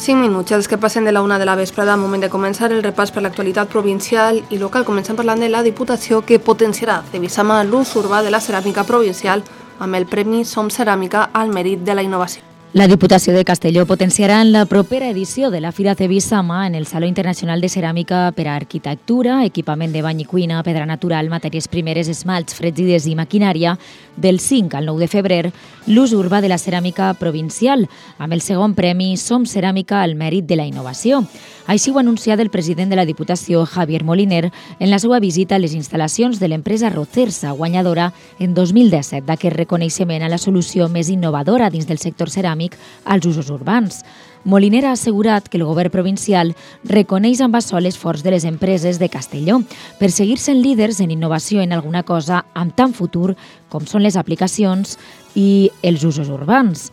5 minuts, els que passen de la 1 de la vesprada, moment de començar el repàs per l'actualitat provincial i local. Comencem parlant de la Diputació, que potenciarà de Visama l'ús urbà de la ceràmica provincial amb el Premi Som Ceràmica al Mèrit de la Innovació. La Diputació de Castelló potenciarà en la propera edició de la Fira Cebisama en el Saló Internacional de Ceràmica per a Arquitectura, equipament de bany i cuina, pedra natural, matèries primeres, esmalts, fregides i maquinària, del 5 al 9 de febrer, l'ús urbà de la ceràmica provincial, amb el segon premi Som Ceràmica al Mèrit de la Innovació. Així ho ha anunciat el president de la Diputació, Javier Moliner, en la seva visita a les instal·lacions de l'empresa Rocersa, guanyadora en 2017 d'aquest reconeixement a la solució més innovadora dins del sector ceràmic als usos urbans. Moliner ha assegurat que el govern provincial reconeix amb açò l'esforç de les empreses de Castelló per seguir sent líders en innovació en alguna cosa amb tant futur com són les aplicacions i els usos urbans.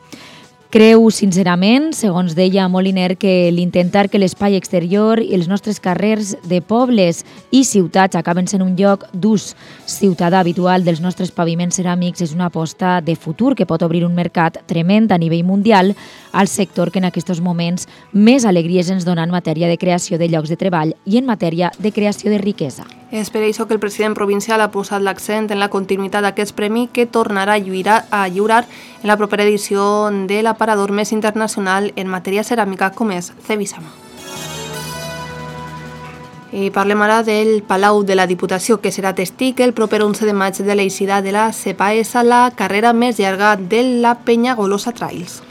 Creu sincerament, segons deia Moliner, que l'intentar que l'espai exterior i els nostres carrers de pobles i ciutats acaben sent un lloc d'ús ciutadà habitual dels nostres paviments ceràmics és una aposta de futur que pot obrir un mercat tremend a nivell mundial al sector que en aquests moments més alegries ens dona en matèria de creació de llocs de treball i en matèria de creació de riquesa. És per això que el president provincial ha posat l'accent en la continuïtat d'aquest premi que tornarà a lliurar en la propera edició de l'aparador més internacional en matèria ceràmica com és Cebisama. I parlem ara del Palau de la Diputació, que serà testig el proper 11 de maig de l'eixida de la CEPAES a la carrera més llarga de la Penyagolosa Trails.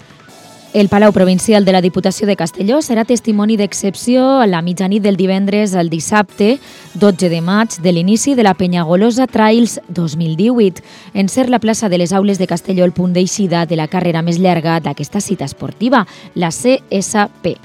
El Palau Provincial de la Diputació de Castelló serà testimoni d'excepció a la mitjanit del divendres al dissabte, 12 de maig, de l'inici de la Penyagolosa Trails 2018, en ser la plaça de les Aules de Castelló el punt d'eixida de la carrera més llarga d'aquesta cita esportiva, la CSP.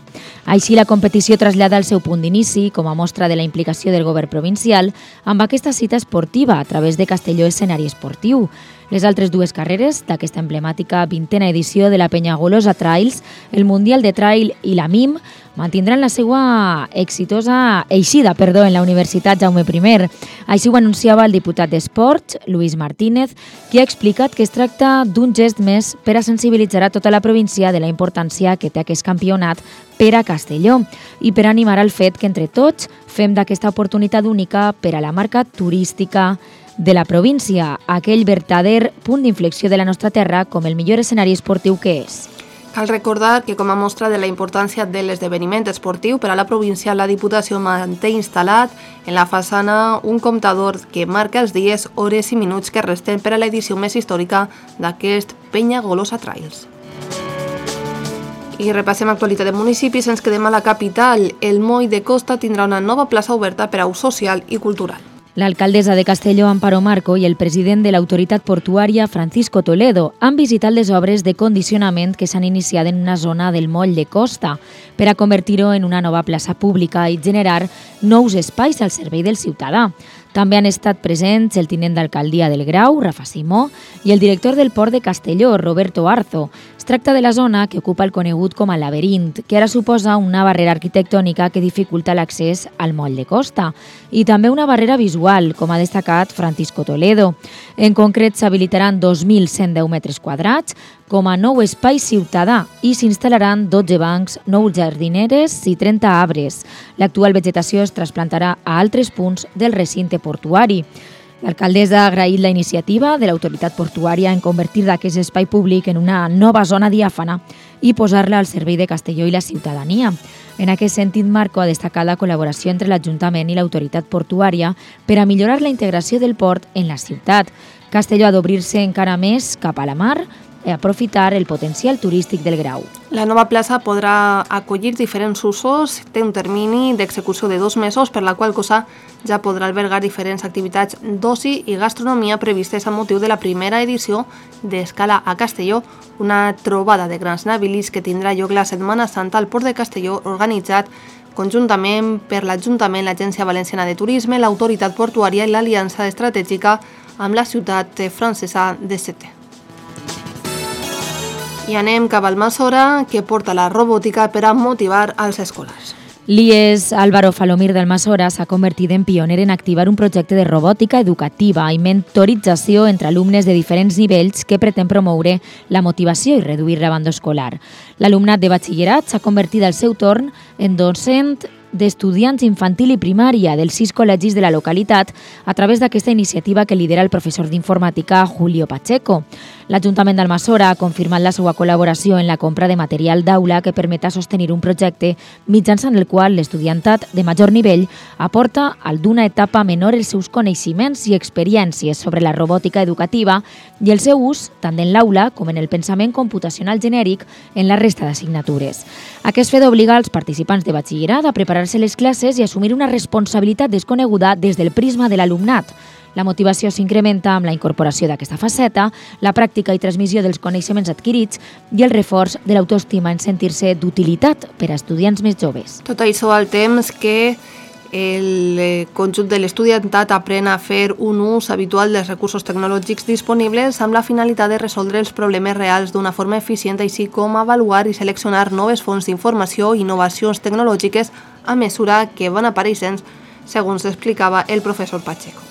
Així, la competició trasllada el seu punt d'inici com a mostra de la implicació del govern provincial amb aquesta cita esportiva a través de Castelló Escenari Esportiu. Les altres dues carreres d'aquesta emblemàtica 20a edició de la Penyagolosa Trails, el Mundial de Trail i la MIM, mantindran la seva exitosa eixida en la Universitat Jaume I. Així ho anunciava el diputat d'Esports, Luis Martínez, qui ha explicat que es tracta d'un gest més per a sensibilitzar a tota la província de la importància que té aquest campionat per a Castelló i per animar al fet que entre tots fem d'aquesta oportunitat única per a la marca turística de la província, aquell verdader punt d'inflexió de la nostra terra com el millor escenari esportiu que és. Cal recordar que com a mostra de la importància de l'esdeveniment esportiu per a la província, la Diputació manté instal·lat en la façana un comptador que marca els dies, hores i minuts que resten per a l'edició més històrica d'aquest Penyagolosa Trails. I repassem actualitat de municipis, ens quedem a la capital. El Moll de Costa tindrà una nova plaça oberta per a ús social i cultural. L'alcaldessa de Castelló, Amparo Marco, i el president de l'autoritat portuària, Francisco Toledo, han visitat les obres de condicionament que s'han iniciat en una zona del Moll de Costa per a convertir-ho en una nova plaça pública i generar nous espais al servei del ciutadà. També han estat presents el tinent d'alcaldia del Grau, Rafa Simó, i el director del Port de Castelló, Roberto Arzo. Es tracta de la zona que ocupa el conegut com a laberint, que ara suposa una barrera arquitectònica que dificulta l'accés al Moll de Costa, i també una barrera visual, com ha destacat Francisco Toledo. En concret, s'habilitaran 2.110 metres quadrats com a nou espai ciutadà i s'instal·laran 12 bancs, 9 jardineres i 30 arbres. L'actual vegetació es trasplantarà a altres punts del recinte portuari. L'alcaldessa ha agraït la iniciativa de l'autoritat portuària en convertir d'aquest espai públic en una nova zona diàfana i posar-la al servei de Castelló i la ciutadania. En aquest sentit, Marco ha destacat la col·laboració entre l'Ajuntament i l'autoritat portuària per a millorar la integració del port en la ciutat. Castelló ha d'obrir-se encara més cap a la mar i aprofitar el potencial turístic del Grau. La nova plaça podrà acollir diferents usos, té un termini d'execució de 2 mesos, per la qual cosa ja podrà albergar diferents activitats d'oci i gastronomia previstes a motiu de la primera edició d'Escala a Castelló, una trobada de grans navilies que tindrà lloc la Setmana Santa al Port de Castelló, organitzat conjuntament per l'Ajuntament, l'Agència Valenciana de Turisme, l'Autoritat Portuària i l'Aliança Estratègica amb la ciutat francesa de Sète. I anem cap al Almassora, que porta la robòtica per a motivar als escolars. L'IES Álvaro Falomir d'Almassora s'ha convertit en pioner en activar un projecte de robòtica educativa i mentorització entre alumnes de diferents nivells que pretén promoure la motivació i reduir l'abandó escolar. L'alumnat de batxillerat s'ha convertit al seu torn en docent d'estudiants infantil i primària dels 6 col·legis de la localitat a través d'aquesta iniciativa que lidera el professor d'informàtica Julio Pacheco. L'Ajuntament d'Almassora ha confirmat la seva col·laboració en la compra de material d'aula que permeta sostenir un projecte mitjançant el qual l'estudiantat de major nivell aporta al d'una etapa menor els seus coneixements i experiències sobre la robòtica educativa i el seu ús tant en l'aula com en el pensament computacional genèric en la resta d'assignatures. Aquest fet obliga als participants de batxillerat a preparar-se les classes i assumir una responsabilitat desconeguda des del prisma de l'alumnat. La motivació s'incrementa amb la incorporació d'aquesta faceta, la pràctica i transmissió dels coneixements adquirits i el reforç de l'autoestima en sentir-se d'utilitat per a estudiants més joves. Tot això al temps que el conjunt de l'estudiantat aprèn a fer un ús habitual dels recursos tecnològics disponibles amb la finalitat de resoldre els problemes reals d'una forma eficient, així com avaluar i seleccionar noves fonts d'informació i innovacions tecnològiques a mesura que van apareixent, segons explicava el professor Pacheco.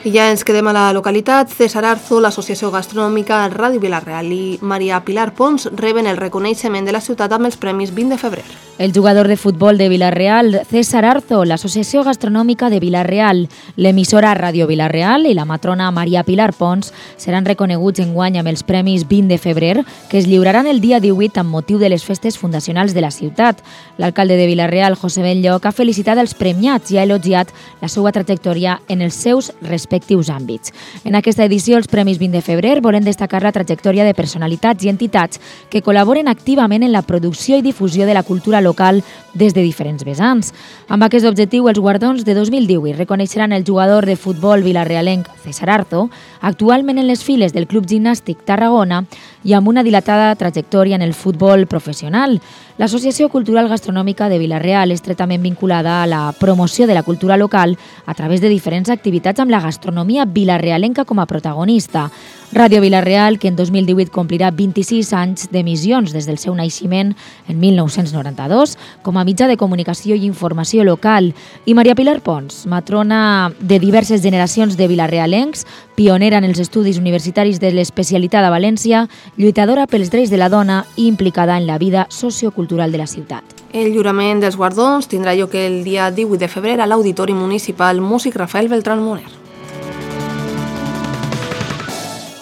I ja ens quedem a la localitat. César Arzo, l'Associació Gastronòmica Ràdio Vila-real i Maria Pilar Pons reben el reconeixement de la ciutat amb els premis 20 de febrer. El jugador de futbol de Vila-real, César Arzo, l'Associació Gastronòmica de Vila-real, l'emissora Ràdio Vila-real i la matrona Maria Pilar Pons seran reconeguts enguany amb els premis 20 de febrer que es lliuraran el dia 18 amb motiu de les festes fundacionals de la ciutat. L'alcalde de Vila-real, José Benlloc, ha felicitat els premiats i ha elogiat la seva trajectòria en els seus respectius àmbits. En aquesta edició, els Premis 20 de febrer volen destacar la trajectòria de personalitats i entitats que col·laboren activament en la producció i difusió de la cultura local des de diferents vessants. Amb aquest objectiu, els guardons de 2018 reconeixeran el jugador de futbol vilarealenc César Arzo, actualment en les files del Club Gimnàstic Tarragona i amb una dilatada trajectòria en el futbol professional. L'Associació Cultural Gastronòmica de Vila-real és estretament vinculada a la promoció de la cultura local a través de diferents activitats amb la gastronomia vilarealenca com a protagonista. Ràdio Vila-real, que en 2018 complirà 26 anys d'emissions des del seu naixement en 1992, com a mitjà de comunicació i informació local, i Maria Pilar Pons, matrona de diverses generacions de vilarealencs, pionera en els estudis universitaris de l'especialitat a València, lluitadora pels drets de la dona i implicada en la vida sociocultural de la ciutat. El lliurament dels guardons tindrà lloc el dia 18 de febrer a l'Auditori Municipal Músic Rafael Beltrán Moner.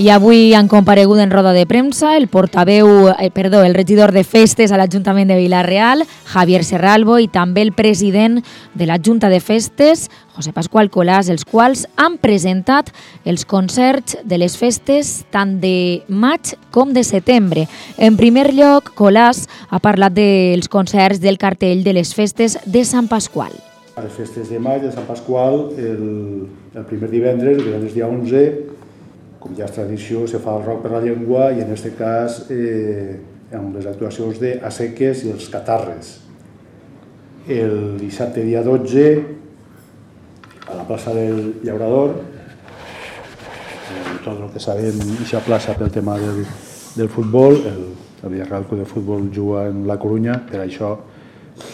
I avui han comparegut en roda de premsa el regidor de Festes a l'Ajuntament de Vila-real, Javier Serralbo, i també el president de la Junta de Festes, José Pascual Colàs, els quals han presentat els concerts de les festes tant de maig com de setembre. En primer lloc, Colàs ha parlat dels concerts del cartell de les festes de Sant Pasqual. A les festes de maig de Sant Pasqual, el primer divendres dia 11, com ja és tradició, se fa el rock per la llengua i en aquest cas amb les actuacions de A Seques i els Catarres. El dissabte dia 12 a la plaça del Llaurador, tot el que sabem d'aquesta plaça pel tema del futbol, el Villarreal Club de Futbol juga en la Corunya, per això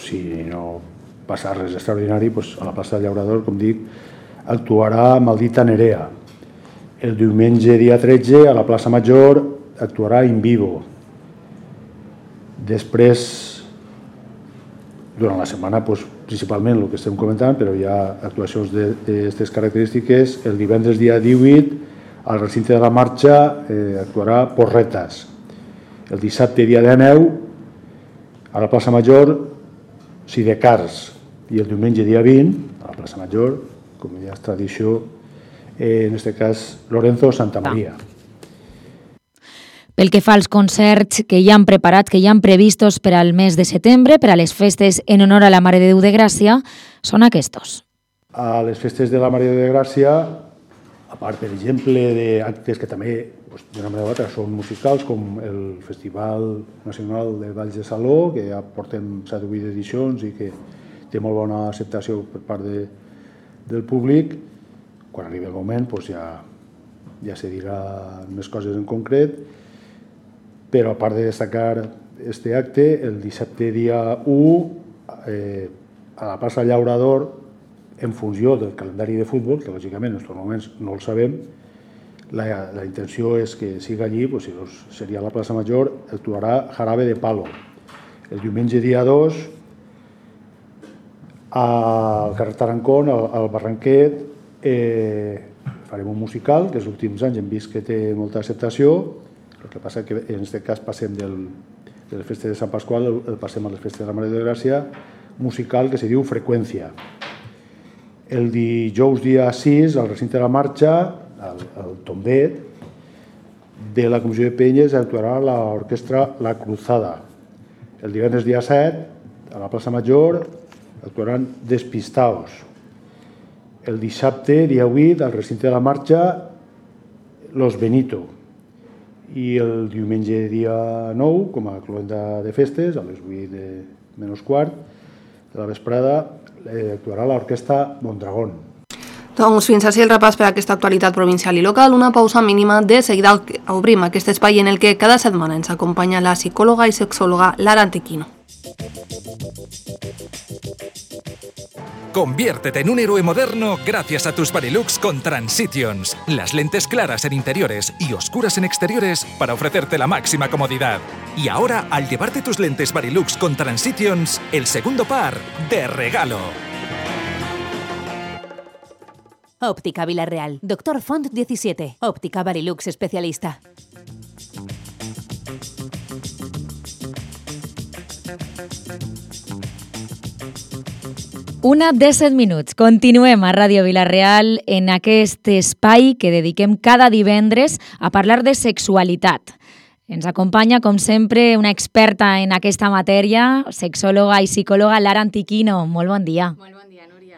si no passa res extraordinari, a la plaça del Llaurador, com dic, actuarà Maldita Nerea. El diumenge, dia 13, a la plaça Major, actuarà In Vivo. Després, durant la setmana, principalment el que estem comentant, però hi ha actuacions d'aquestes característiques. El divendres, dia 18, al recinte de la Marxa, actuarà Porretas. El dissabte, dia 19, a la plaça Major, Sidecars. I el diumenge, dia 20, a la plaça Major, com ja és tradició, en aquest cas Lorenzo Santamaría. Pel que fa als concerts que ja han preparat, que ja han previstos per al mes de setembre, per a les festes en honor a la Mare de Déu de Gràcia, són aquests. A les festes de la Mare de Déu de Gràcia, a part, per exemple, d'actes que també, d'una manera o altra, són musicals, com el Festival Nacional de Balls de Saló, que ja portem 7 o 8 edicions i que té molt bona acceptació per part del públic. Quan arribi el moment ja se dirà més coses en concret, però a part de destacar este acte el dissabte dia 1 a la plaça Llaurador, en funció del calendari de futbol, que lògicament en aquests moments no el sabem. La intenció és que siga allí, si seria la plaça Major, actuarà Jarabe de Palo. El diumenge dia 2, al carrer Tarancón, al Barranquet, farem un musical, que els últims anys hem vist que té molta acceptació. El que passa que en aquest cas passem de les festes de Sant Pasqual, el passem a les festes de la Mare de Gràcia, musical que se diu Freqüència. El dijous dia 6, al recinte de la marxa, al Tombet, de la Comissió de Penyes actuarà l'orquestra La Cruzada. El divendres dia 7, a la plaça Major, actuaran Despistaos. El dissabte, dia 8, al recinte de la marxa, Los Benito. I el diumenge, dia 9, com a cloenda de festes, a les 8 menys quart de la vesprada, actuarà l'orquestra Mondragón. Doncs fins així el repàs per a aquesta actualitat provincial i local. Una pausa mínima. De seguida obrim aquest espai en el que cada setmana ens acompanya la psicòloga i sexòloga Lara Antequino. Conviértete en un héroe moderno gracias a tus Varilux con Transitions. Las lentes claras en interiores y oscuras en exteriores para ofrecerte la máxima comodidad. Y ahora, al llevarte tus lentes Varilux con Transitions, el segundo par de regalo. Óptica Villarreal. Dr. Font 17. Óptica Varilux especialista. Una 17 minuts. Continuem a Ràdio Vila-real en aquest espai que dediquem cada divendres a parlar de sexualitat. Ens acompanya, com sempre, una experta en aquesta matèria, sexòloga i psicòloga Lara Antequino. Molt bon dia. Molt bon dia, Núria.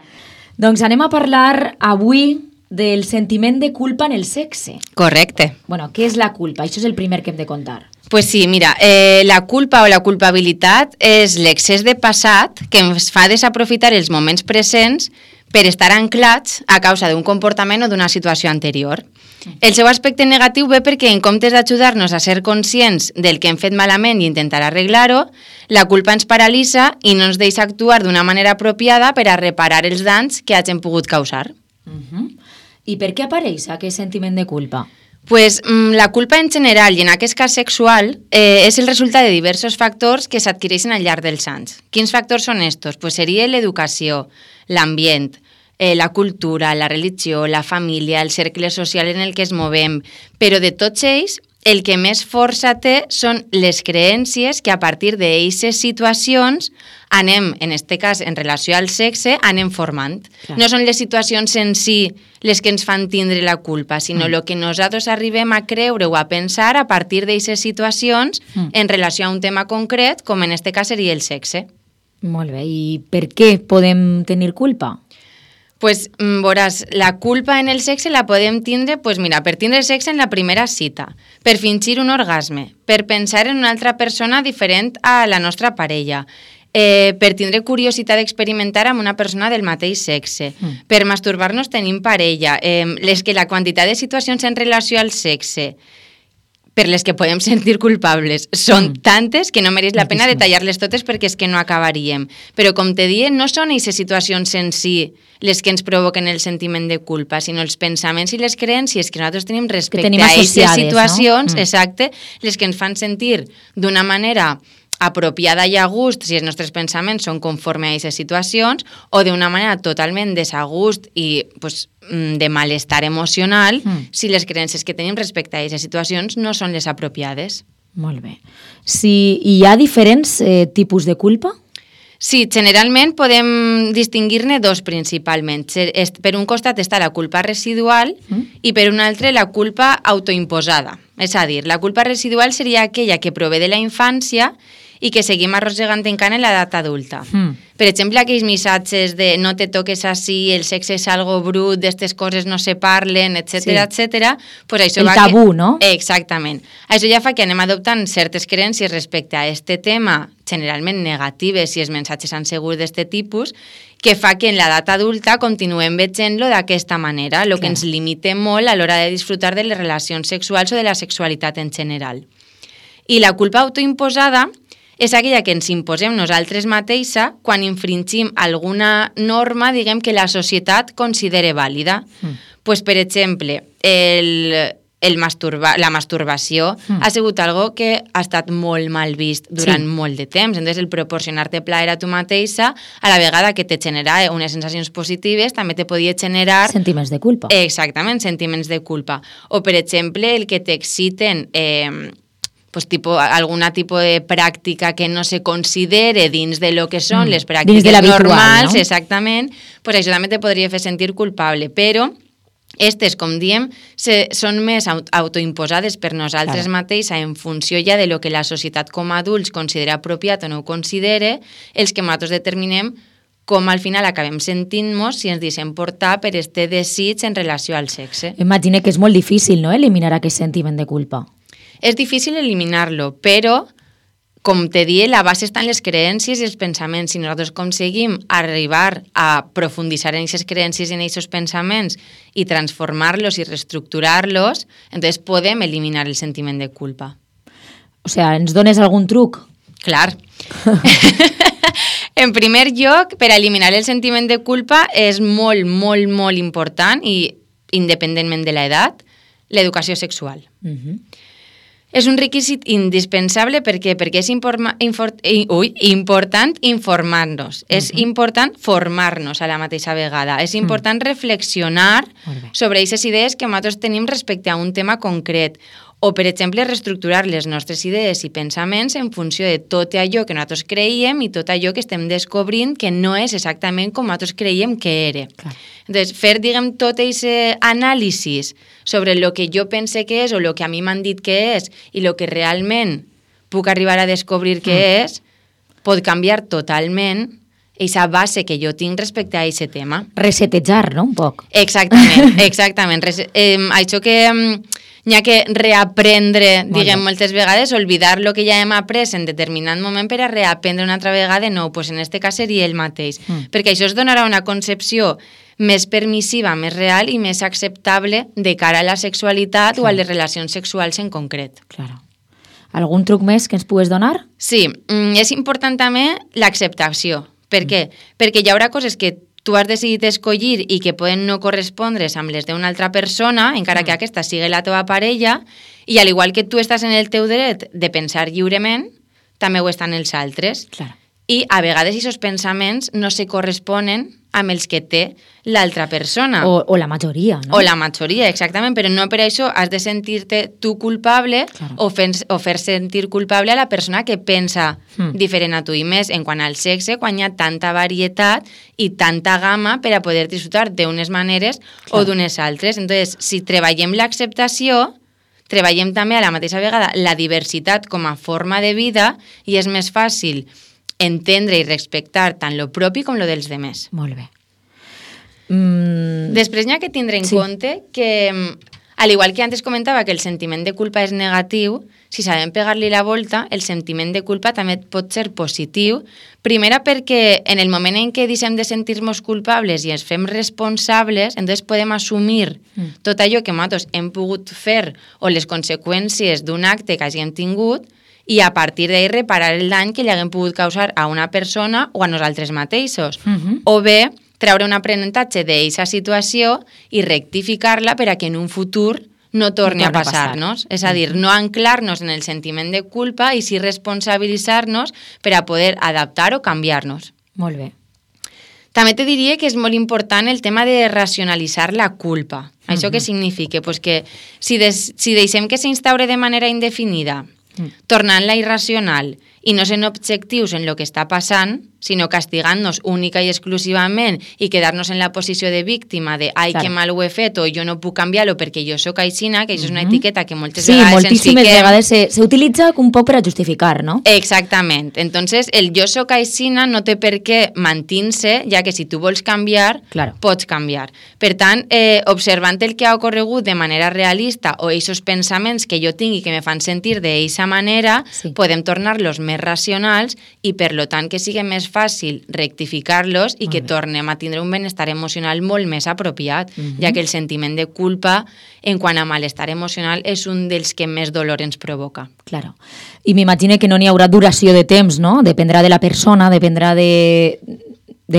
Doncs anem a parlar avui del sentiment de culpa en el sexe. Correcte. Bueno, què és la culpa? Això és el primer que hem de contar. Pues sí, mira, la culpa o la culpabilitat és l'excés de passat que ens fa desaprofitar els moments presents per estar anclats a causa d'un comportament o d'una situació anterior. El seu aspecte negatiu ve perquè en comptes d'ajudar-nos a ser conscients del que hem fet malament i intentar arreglar-ho, la culpa ens paralitza i no ens deixa actuar d'una manera apropiada per a reparar els danys que hagin pogut causar. I per què apareix aquest sentiment de culpa? Pues la culpa en general i en aquest cas sexual és el resultat de diversos factors que s'adquireixen al llarg dels anys. Quins factors són estos? Pues seria l'educació, l'ambient, la cultura, la religió, la família, el cercle social en el que es movem, però de tots ells el que més força té són les creences que a partir d'aquestes situacions anem, en aquest cas en relació al sexe, anem formant. Clar. No són les situacions en si les que ens fan tindre la culpa, sinó el que nosaltres arribem a creure o a pensar a partir d'aquestes situacions en relació a un tema concret, com en aquest cas seria el sexe. Molt bé, i per què podem tenir culpa? Pues veuràs, la culpa en el sexe la podem tindre, pues mira, per tindre sexe en la primera cita, per fingir un orgasme, per pensar en una altra persona diferent a la nostra parella, per tindre curiositat d'experimentar amb una persona del mateix sexe, per masturbar-nos tenint parella, la quantitat de situacions en relació al sexe per les que podem sentir culpables són tantes que no mereix la pena detallar-les totes perquè és que no acabaríem. Però com te diem, no són aquestes situacions en si les que ens provoquen el sentiment de culpa, sinó els pensaments i les creences que nosaltres tenim respecte a aquestes situacions, exacte, les que ens fan sentir d'una manera apropiada i a gust si els nostres pensaments són conforme a aquestes situacions o d'una manera totalment desagust i pues, de malestar emocional si les creences que tenim respecte a aquestes situacions no són les apropiades. Molt bé. Si hi ha diferents tipus de culpa? Sí, generalment podem distingir-ne dos principalment. Per un costat està la culpa residual i per un altre la culpa autoimposada. És a dir, la culpa residual seria aquella que prové de la infància i que seguim arrossegant encara en l'edat adulta. Per exemple, aquells missatges de no te toques així, el sexe és algo brut, d'aquestes coses no se parlen, etc. Pues això el tabú, no? Exactament. Això ja fa que anem adoptant certes creences respecte a aquest tema, generalment negatives si els missatges han sigut d'aquest tipus, que fa que en l'edat adulta continuem veient-lo d'aquesta manera, el que ens limita molt a l'hora de disfrutar de les relacions sexuals o de la sexualitat en general. I la culpa autoimposada és aquella que ens imposem nosaltres mateixa quan infringim alguna norma, diguem, que la societat considere vàlida. Pues, per exemple, la masturbació ha sigut algo que ha estat molt mal vist durant molt de temps. Entonces, el proporcionar-te plaer a tu mateixa, a la vegada que te genera unes sensacions positives, també te podia generar... Sentiments de culpa. Exactament, sentiments de culpa. O, per exemple, el que t'exciten... pues alguna tipus de pràctica que no se considere dins de lo que són les pràctiques normals, no? Exactament, pues això també te podria fer sentir culpable, però estes, com diem, són més autoimposades per nosaltres mateixes en funció ja de lo que la societat com a adults considera apropiat o no ho considere, els que nosaltres determinem com al final acabem sentint-nos si ens deixem portar per este desig en relació al sexe. Imagina que és molt difícil, no?, eliminar aquest sentiment de culpa. És difícil eliminar-lo, però, com te dic, la base està en les creences i els pensaments. Si nosaltres aconseguim arribar a profunditzar en aquestes creences i en aquests pensaments i transformar-los i reestructurar-los, entonces podem eliminar el sentiment de culpa. O sea, ens dones algun truc? Clar. En primer lloc, per eliminar el sentiment de culpa és molt, molt, molt important i, independentment de l'edat, l'educació sexual. És un requisit indispensable perquè és important informar-nos, és important formar-nos a la mateixa vegada, és important reflexionar sobre aquestes idees que nosaltres tenim respecte a un tema concret o, per exemple, reestructurar les nostres idees i pensaments en funció de tot allò que nosaltres creiem i tot allò que estem descobrint que no és exactament com nosaltres creiem que era. Entonces, fer, diguem, tot aquest anàlisi sobre el que jo pense que és o el que a mi m'han dit que és i el que realment puc arribar a descobrir que és, pot canviar totalment aquesta base que jo tinc respecte a aquest tema. Resetejar, no?, un poc. Exactament. Això que n'hi ha que reaprendre, diguem, moltes vegades, oblidar el que ja hem après en determinat moment per a reaprendre una altra vegada, no, doncs en aquest cas seria el mateix. Perquè això es donarà una concepció més permissiva, més real i més acceptable de cara a la sexualitat o a les relacions sexuals en concret. Claro. Algun truc més que ens pugues donar? Sí, és important també l'acceptació. Per què? Perquè hi haurà coses que tu has decidit escollir i que poden no correspondre's amb les d'una altra persona, encara que aquesta sigui la teva parella, i al igual que tu estàs en el teu dret de pensar lliurement, també ho estan els altres. Claro. I a vegades aquests pensaments no se corresponen amb els que té l'altra persona. O la majoria, no? O la majoria, exactament, però no per això has de sentir-te tu culpable o fer sentir culpable a la persona que pensa diferent a tu. I més en quant al sexe, quan hi ha tanta varietat i tanta gamma per a poder disfrutar d'unes maneres o d'unes altres. Entonces, si treballem l'acceptació, treballem també a la mateixa vegada la diversitat com a forma de vida i és més fàcil entendre i respectar tant lo propi com lo dels demés. Molt bé. Després n'hi ha que tindre en compte que, al igual que antes comentava que el sentiment de culpa és negatiu, si sabem pegar-li la volta, el sentiment de culpa també pot ser positiu. Primera perquè en el moment en què deixem de sentir-nos culpables i ens fem responsables, entonces podem assumir tot allò que nosaltres hem pogut fer o les conseqüències d'un acte que hàgim tingut i a partir d'ahir reparar el dany que li haguem pogut causar a una persona o a nosaltres mateixos. O bé, treure un aprenentatge d'aquesta situació i rectificar-la per a que en un futur no torni a passar-nos. És a dir, no anclar-nos en el sentiment de culpa i sí responsabilitzar-nos per a poder adaptar o canviar-nos. Molt bé. També te diria que és molt important el tema de racionalitzar la culpa. Això què significa? Pues que si deixem que s'instaure de manera indefinida, tornant-la irracional i no sent objectius en el que està passant, sinó castigant-nos única i exclusivament i quedar-nos en la posició de víctima de ai, que mal ho he fet o jo no puc canviar-ho perquè jo sóc aixina, que això és una etiqueta que moltes vegades ens fiquem. Sí, moltíssimes vegades s'utilitza un poc per a justificar, no? Exactament. Entonces, el jo sóc aixina no té per què mantenir-se, ja que si tu vols canviar, pots canviar. Per tant, observant el que ha ocorregut de manera realista o aquests pensaments que jo tinc i que me fan sentir d'aquesta manera, podem tornar-los més racionals i, per lo tant, que siguin més fàcil rectificar-los i que tornem a tindre un benestar emocional molt més apropiat, ja que el sentiment de culpa en quant a malestar emocional és un dels que més dolor ens provoca. Claro. I m'imagino que no n'hi haurà duració de temps, no? Dependrà de la persona, dependrà de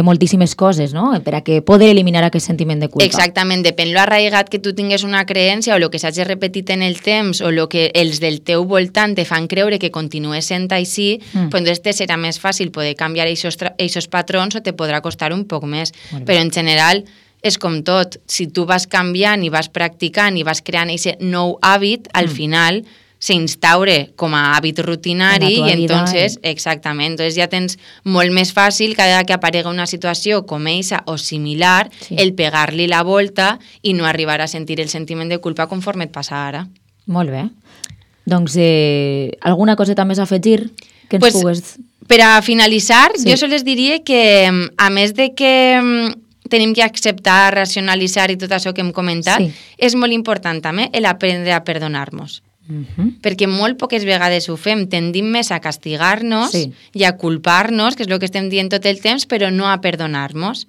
moltíssimes coses, no? Per a que poder eliminar aquest sentiment de culpa. Exactament, depèn lo arraigat que tu tingues una creença o el que s'hagi repetit en el temps o el que els del teu voltant te fan creure que continues sent així, pues entonces te serà més fàcil poder canviar aquests patrons o te podrà costar un poc més. Però en general és com tot, si tu vas canviant i vas practicant i vas creant aquest nou hàbit, al final s'instaure com a hàbit rutinari i entonces, exactament, entonces ja tens molt més fàcil cada que aparega una situació com eixa o similar, el pegar-li la volta i no arribar a sentir el sentiment de culpa conforme et passa ara. Molt bé. Doncs alguna coseta més a afegir que ens pugues... Per a finalitzar, jo sols diria que a més de que tenim que acceptar, racionalitzar i tot això que hem comentat, és molt important també l'aprendre a perdonar-nos. Perquè molt poques vegades ho fem, tendim més a castigar-nos i a culpar-nos, que és el que estem dient tot el temps, però no a perdonar-nos.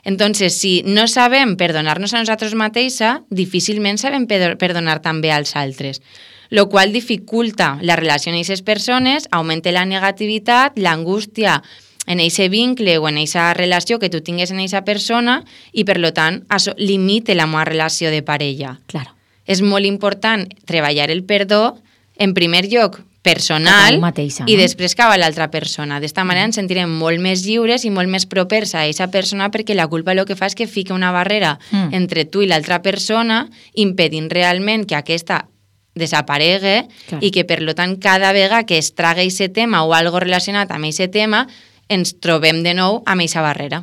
Entonces, si no sabem perdonar-nos a nosaltres mateixa, difícilment sabem perdonar també als altres, lo qual dificulta la relació amb aquestes persones, augmenta la negativitat, l'angústia en aquest vincle o en aquesta relació que tu tingues en aquesta persona i, per tant, això limita la meva relació de parella. Claro. És molt important treballar el perdó, en primer lloc, personal, i després cap a l'altra persona. D'esta manera ens sentirem molt més lliures i molt més propers a aquesta persona perquè la culpa el que fa és que fica una barrera entre tu i l'altra persona, impedint realment que aquesta desaparegui i que, per tant, cada vegada que es traga aquest tema o algo relacionat amb aquest tema, ens trobem de nou amb aquesta barrera.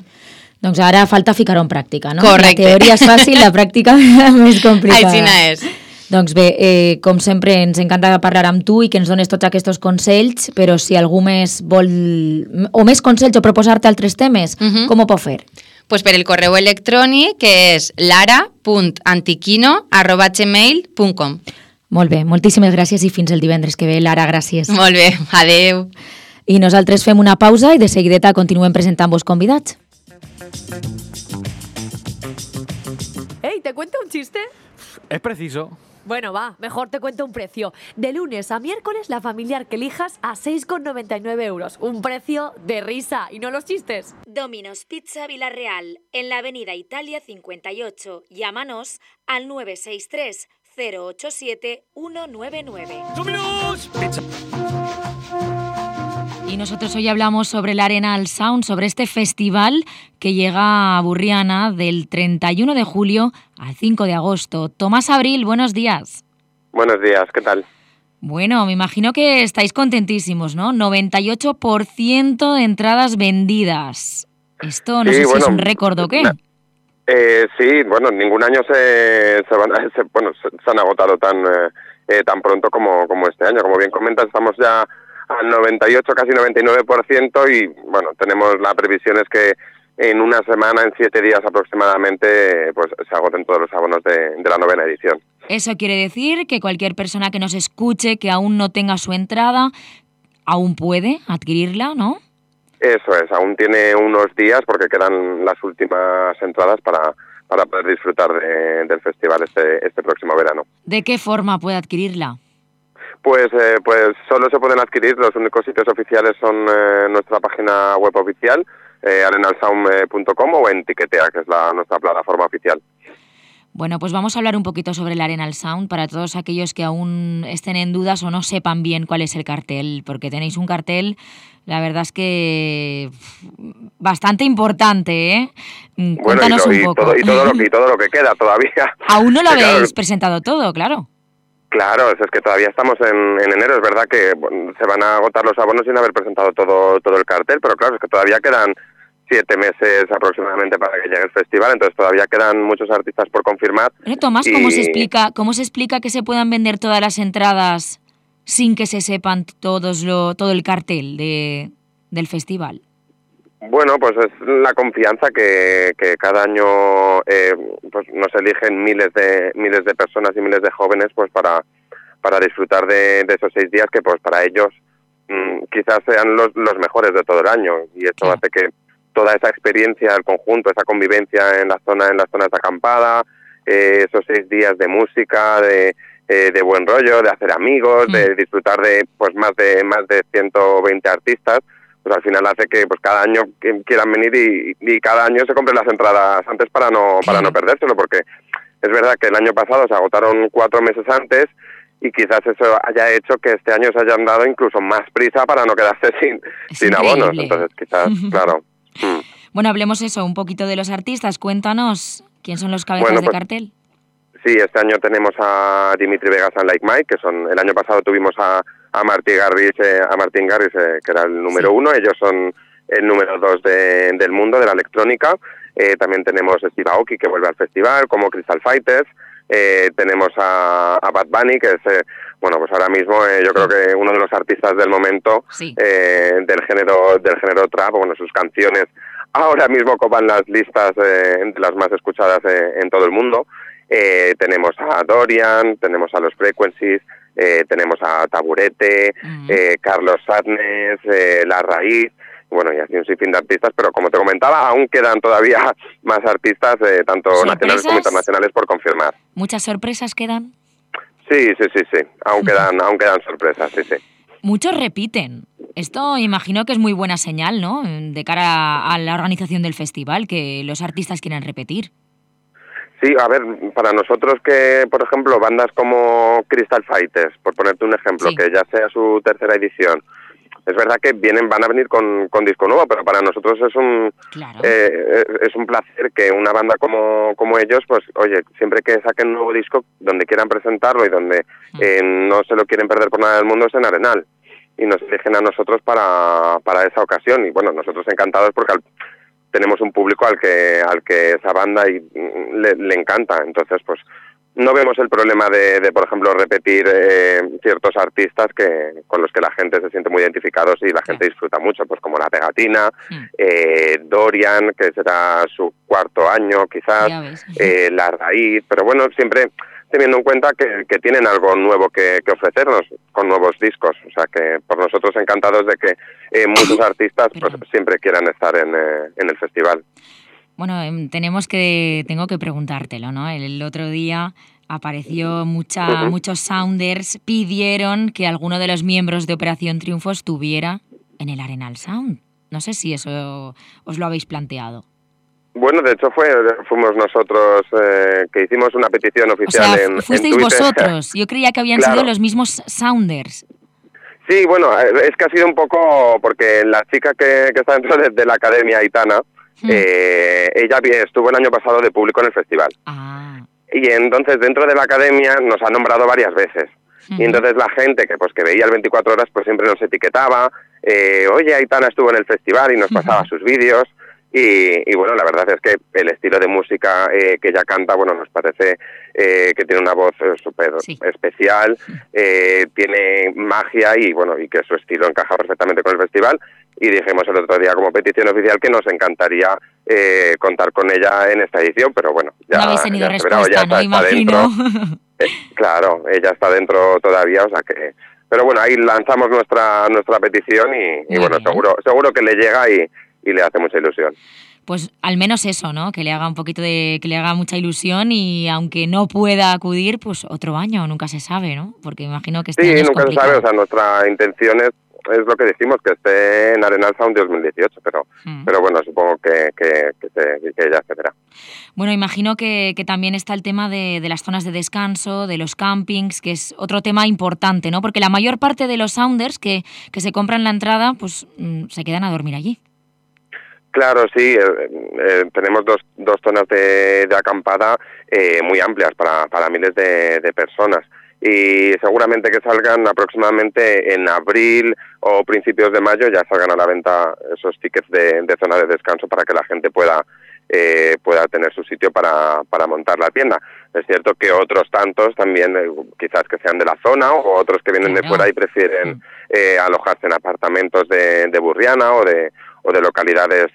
Doncs ara falta ficar-ho en pràctica, no? Correcte. La teoria és fàcil, la pràctica més complicada. Així és. Doncs bé, com sempre, ens encanta parlar amb tu i que ens dones tots aquests consells, però si algú més vol, o més consells o proposar-te altres temes, com ho pot fer? Pues per el correu electrònic, que és lara.antiquino@gmail.com. Molt bé, moltíssimes gràcies i fins el divendres que ve. Lara, gràcies. Molt bé, adeu. I nosaltres fem una pausa i de seguideta continuem presentant-vos convidats. Hey, ¿te cuento un chiste? Es preciso. Bueno, va, mejor te cuento un precio. De lunes a miércoles, la familiar que elijas a 6,99 euros. Un precio de risa, y no los chistes. Domino's Pizza Villarreal, en la avenida Italia 58. Llámanos al 963 087 199. ¡Domino's Pizza! Y nosotros hoy hablamos sobre el Arenal Sound, sobre este festival que llega a Burriana del 31 de julio al 5 de agosto. Tomás Abril, buenos días. Buenos días, ¿qué tal? Bueno, me imagino que estáis contentísimos, ¿no? 98% de entradas vendidas. Esto no sé si es un récord o qué. Sí, bueno, ningún año se han agotado tan pronto como este año. Como bien comentas, estamos ya al 98, casi 99% y bueno, tenemos la previsión es que en una semana, en 7 días aproximadamente, pues se agoten todos los abonos de la 9ª edición. Eso quiere decir que cualquier persona que nos escuche, que aún no tenga su entrada, aún puede adquirirla, ¿no? Eso es, aún tiene unos días porque quedan las últimas entradas para poder disfrutar del festival este próximo verano. ¿De qué forma puede adquirirla? Pues solo se pueden adquirir, los únicos sitios oficiales son nuestra página web oficial, arenalsound.com o en Tiquetea, que es nuestra plataforma oficial. Bueno, pues vamos a hablar un poquito sobre el Arenal Sound para todos aquellos que aún estén en dudas o no sepan bien cuál es el cartel, porque tenéis un cartel, la verdad es que bastante importante, ¿eh? Cuéntanos un poco. Y todo lo que queda todavía. Aún no lo habéis presentado todo, claro. Claro, es que todavía estamos en enero, es verdad que se van a agotar los abonos sin haber presentado todo el cartel, pero claro, es que todavía quedan 7 meses aproximadamente para que llegue el festival, entonces todavía quedan muchos artistas por confirmar. Pero Tomás, ¿cómo se explica que se puedan vender todas las entradas sin que se sepan todo el cartel del festival? Bueno, pues es la confianza que cada año pues nos eligen miles de personas y miles de jóvenes pues para disfrutar de esos 6 días que pues para ellos quizás sean los mejores de todo el año, y esto hace que toda esa experiencia, el conjunto, esa convivencia en las zonas de acampada, esos 6 días de música, de buen rollo, de hacer amigos, de disfrutar de pues más de 120 artistas, pues al final hace que pues cada año quieran venir y cada año se compren las entradas antes para no perdérselo, porque es verdad que el año pasado se agotaron 4 meses antes, y quizás eso haya hecho que este año se hayan dado incluso más prisa para no quedarse sin abonos. Entonces quizás, claro. Bueno, hablemos un poquito de los artistas. Cuéntanos, ¿quién son los cabezas de cartel? Sí, este año tenemos a Dimitri Vegas y Like Mike, que son, el año pasado tuvimos a Martin Garrix, que era el número 1, ellos son el número 2 del mundo de la electrónica. También tenemos Steve Aoki, que vuelve al festival, como Crystal Fighters. Tenemos a Bad Bunny, que es bueno, pues ahora mismo yo creo que uno de los artistas del momento del género trap. Bueno, sus canciones ahora mismo copan las listas de las más escuchadas en todo el mundo. Tenemos a Dorian, tenemos a los Frequencies, tenemos a Taburete, Carlos Sadness, La Raíz, bueno, y así un sinfín de artistas, pero como te comentaba, aún quedan todavía más artistas, tanto nacionales como internacionales, por confirmar. ¿Muchas sorpresas quedan? Sí, aún quedan sorpresas, sí. Muchos repiten. Esto imagino que es muy buena señal, ¿no?, de cara a la organización del festival, que los artistas quieran repetir. Sí, a ver, para nosotros que, por ejemplo, bandas como Crystal Fighters, por ponerte un ejemplo, que ya sea su 3ª edición, es verdad que van a venir con disco nuevo, pero para nosotros es un placer que una banda como ellos, pues oye, siempre que saquen un nuevo disco, donde quieran presentarlo y donde no se lo quieren perder por nada del mundo, es en Arenal, y nos eligen a nosotros para esa ocasión, y bueno, nosotros encantados porque tenemos un público al que esa banda le encanta. Entonces pues no vemos el problema de por ejemplo, repetir ciertos artistas con los que la gente se siente muy identificados y la gente disfruta mucho, pues como La Pegatina, Dorian, que será su 4º año quizás, La Raíz, pero bueno, siempre teniendo en cuenta que tienen algo nuevo que ofrecernos con nuevos discos, o sea que por nosotros encantados de que muchos artistas pues siempre quieran estar en el festival. Bueno, tengo que preguntártelo, ¿no? El otro día apareció muchos Sounders pidieron que alguno de los miembros de Operación Triunfo estuviera en el Arenal Sound. No sé si eso os lo habéis planteado. Bueno, de hecho fuimos nosotros que hicimos una petición oficial, o sea, en fuisteis Twitter. Vosotros. Yo creía que habían sido los mismos Sounders. Sí, bueno, es que ha sido un poco porque la chica que está dentro de la Academia Aitana, ella estuvo el año pasado de público en el festival. Y entonces dentro de la Academia nos ha nombrado varias veces. Y entonces la gente que veía el 24 horas pues siempre nos etiquetaba, oye, Aitana estuvo en el festival, y nos pasaba sus vídeos. Y bueno, la verdad es que el estilo de música que ella canta, bueno, nos parece que tiene una voz súper especial, tiene magia y bueno, y que su estilo encaja perfectamente con el festival. Y dijimos el otro día como petición oficial que nos encantaría contar con ella en esta edición, pero bueno, ya, no habéis tenido respuesta, ya ¿no? Imagino. Claro, ella está dentro todavía, o sea que... Pero bueno, ahí lanzamos nuestra petición y bueno, seguro que le llega y le hace mucha ilusión. Pues al menos eso, ¿no? Que le haga que le haga mucha ilusión, y aunque no pueda acudir, pues otro año, nunca se sabe, ¿no? Porque imagino que año es nunca complicado. Se sabe, o sea, nuestra intención es lo que decimos, que esté en Arenal Sound 2018, pero bueno, supongo que ya se verá. Bueno, imagino que también está el tema de las zonas de descanso, de los campings, que es otro tema importante, ¿no? Porque la mayor parte de los Sounders que se compran la entrada, pues se quedan a dormir allí. Claro, sí, tenemos dos zonas de acampada muy amplias para miles de personas, y seguramente que salgan aproximadamente en abril o principios de mayo, ya salgan a la venta esos tickets de zona de descanso para que la gente pueda tener su sitio para montar la tienda. Es cierto que otros tantos también, quizás que sean de la zona o otros que vienen de fuera y prefieren alojarse en apartamentos de Burriana o de localidades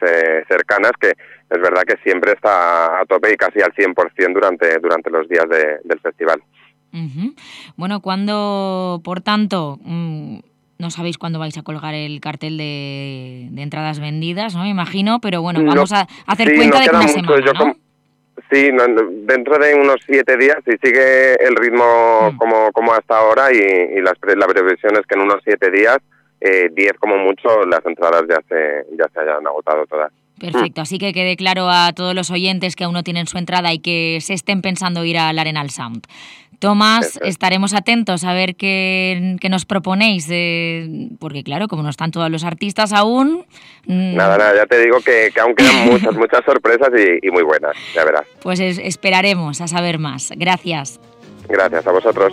cercanas, que es verdad que siempre está a tope y casi al 100% durante los días del festival. Bueno, cuando, por tanto, no sabéis cuándo vais a colgar el cartel de entradas vendidas, ¿no? Me imagino, pero bueno, vamos a hacer cuenta de que una semana, ¿no? Sí, dentro de unos 7 días, si sigue el ritmo como hasta ahora y la previsión es que en unos 7 días, 10 como mucho, las entradas ya se hayan agotado todas. Perfecto, así que quede claro a todos los oyentes que aún no tienen su entrada y que se estén pensando ir al Arenal Sound. Tomás, estaremos atentos a ver qué nos proponéis, porque claro, como no están todos los artistas aún... Nada, ya te digo que aún quedan muchas sorpresas y muy buenas, ya verás. Pues esperaremos a saber más. Gracias. Gracias a vosotros.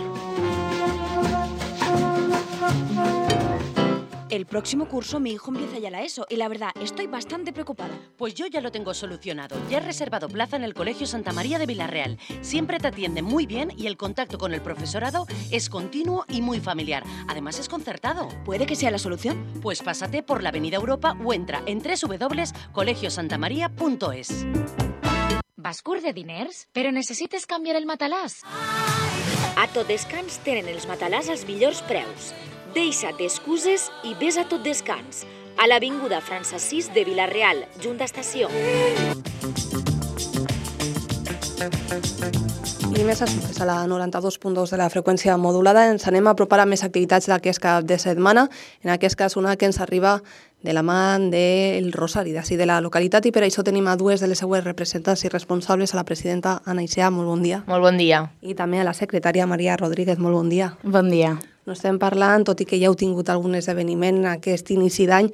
El próximo curso mi hijo empieza ya la ESO y la verdad estoy bastante preocupada. Pues yo ya lo tengo solucionado. Ya he reservado plaza en el Colegio Santa María de Villarreal. Siempre te atienden muy bien y el contacto con el profesorado es continuo y muy familiar. Además es concertado. ¿Puede que sea la solución? Pues pásate por la Avenida Europa o entra en www.colegiosantamaria.es. Vas curt de diners? Però necessites canviar el matalàs? A Tot Descans tenen els matalàs als millors preus. Deixa't d'excuses i vés a Tot Descans, a l'avinguda Francesís de Vila-real, junt d'estació. I més assumptes a la 92.2 de la freqüència modulada. Ens anem a apropar a més activitats d'aquest cap de setmana. En aquest cas, una que ens arriba de la mà del Rosari, d'ací de la localitat, i per això tenim a dues de les seues representants i responsables, a la presidenta Anna Icea, molt bon dia. Molt bon dia. I també a la secretària Maria Rodríguez, molt bon dia. Bon dia. No estem parlant, tot i que ja heu tingut algun esdeveniment aquest inici d'any,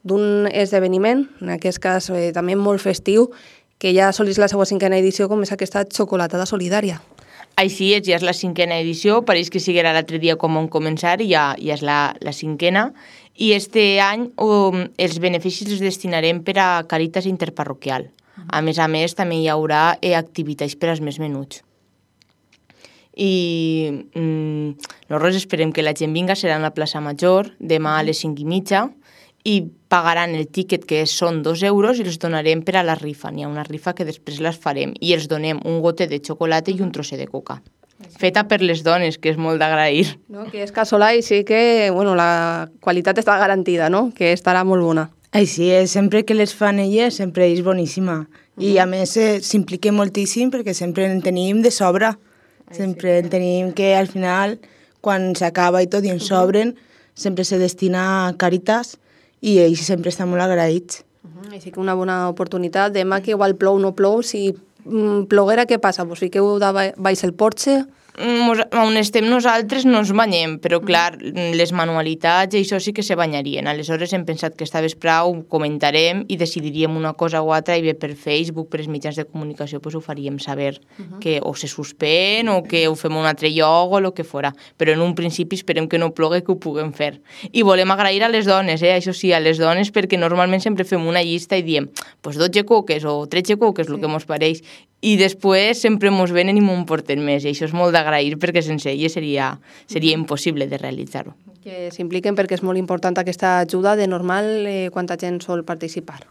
d'un esdeveniment, en aquest cas també molt festiu, que ja assolís la seva 5a edició, com és aquesta xocolatada solidària. Així és, ja és la 5a edició, pareix que siguera l'altre dia com on començar, i ja és la 5a, i este any els beneficis els destinarem per a Càritas Interparroquial. A més, també hi haurà activitats per als més menuts. I nosaltres esperem que la gent vinga, serà en la plaça Major, demà a les 5:30, i pagaran el tíquet, que són 2 euros, i els donarem per a la rifa. N'hi ha una rifa que després les farem i els donem un gote de xocolata i un trosset de coca. Feta per les dones, que és molt d'agrair. No, que és casolà i sí que la qualitat està garantida, no? Que estarà molt bona. Així és, sempre que les fan elles sempre és boníssima. I a més s'implica moltíssim perquè sempre en tenim de sobre. Sempre en tenim que al final, quan s'acaba i tot i en sobren, sempre se destina a Càritas i ells sempre estan molt agraïts. Així que una bona oportunitat. Demà que igual plou o no plou, si ploguera, què passa? Vos fiqueu baix el porxe? On estem nosaltres no ens banyem, però clar, les manualitats i això sí que se banyarien. Aleshores hem pensat que esta vesprà ho comentarem i decidiríem una cosa o altra, i bé per Facebook, per els mitjans de comunicació, ho faríem saber que o se suspèn o que ho fem a un altre lloc o el que fora. Però en un principi esperem que no plogui, que ho puguem fer. I volem agrair a les dones, això sí, a les dones, perquè normalment sempre fem una llista i diem 12 coques o 13 coques, el que mos pareix, i després sempre mos venen i m'ho porten més, i això és molt d'agrair perquè sense elles seria impossible de realitzar-ho. Que s'impliquen perquè és molt important aquesta ajuda. De normal, quanta gent sol participar?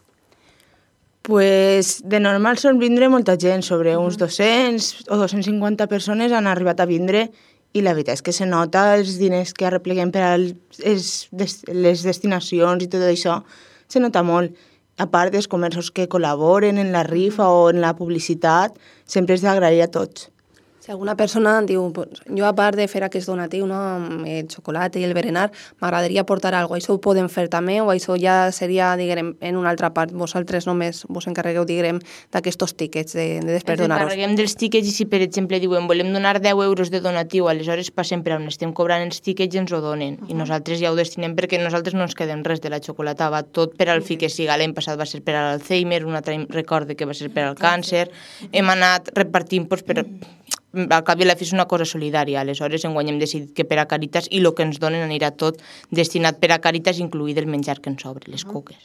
Pues de normal sol vindre molta gent, sobre uns 200 o 250 persones han arribat a vindre, i la veritat és que se nota els diners que arrepleguem per a les destinacions i tot això, se nota molt. A part dels comerços que col·laboren en la rifa o en la publicitat, sempre és d'agrair a tots. Si alguna persona diu, jo a part de fer aquest donatiu, el xocolata i el berenar, m'agradaria portar alguna cosa, això ho podem fer també, o això ja seria, diguem, en una altra part? Vosaltres només vos encarregueu, diguem, d'aquests tíquets de després donar-los? Ens encarreguem dels tíquets, i si per exemple diuen volem donar 10 euros de donatiu, aleshores passem per on estem cobrant els tíquets i ens ho donen, i nosaltres ja ho destinem perquè nosaltres no ens quedem res de la xocolata, va tot per al fi que siga. L'any passat va ser per a l'Alzheimer, un altre recorde que va ser per al càncer, hem anat repartint per... Al cap i a la fi és una cosa solidària, aleshores enguany hem decidit que per a Càritas, i el que ens donen anirà tot destinat per a Càritas, incluït el menjar que ens sobre, les coques.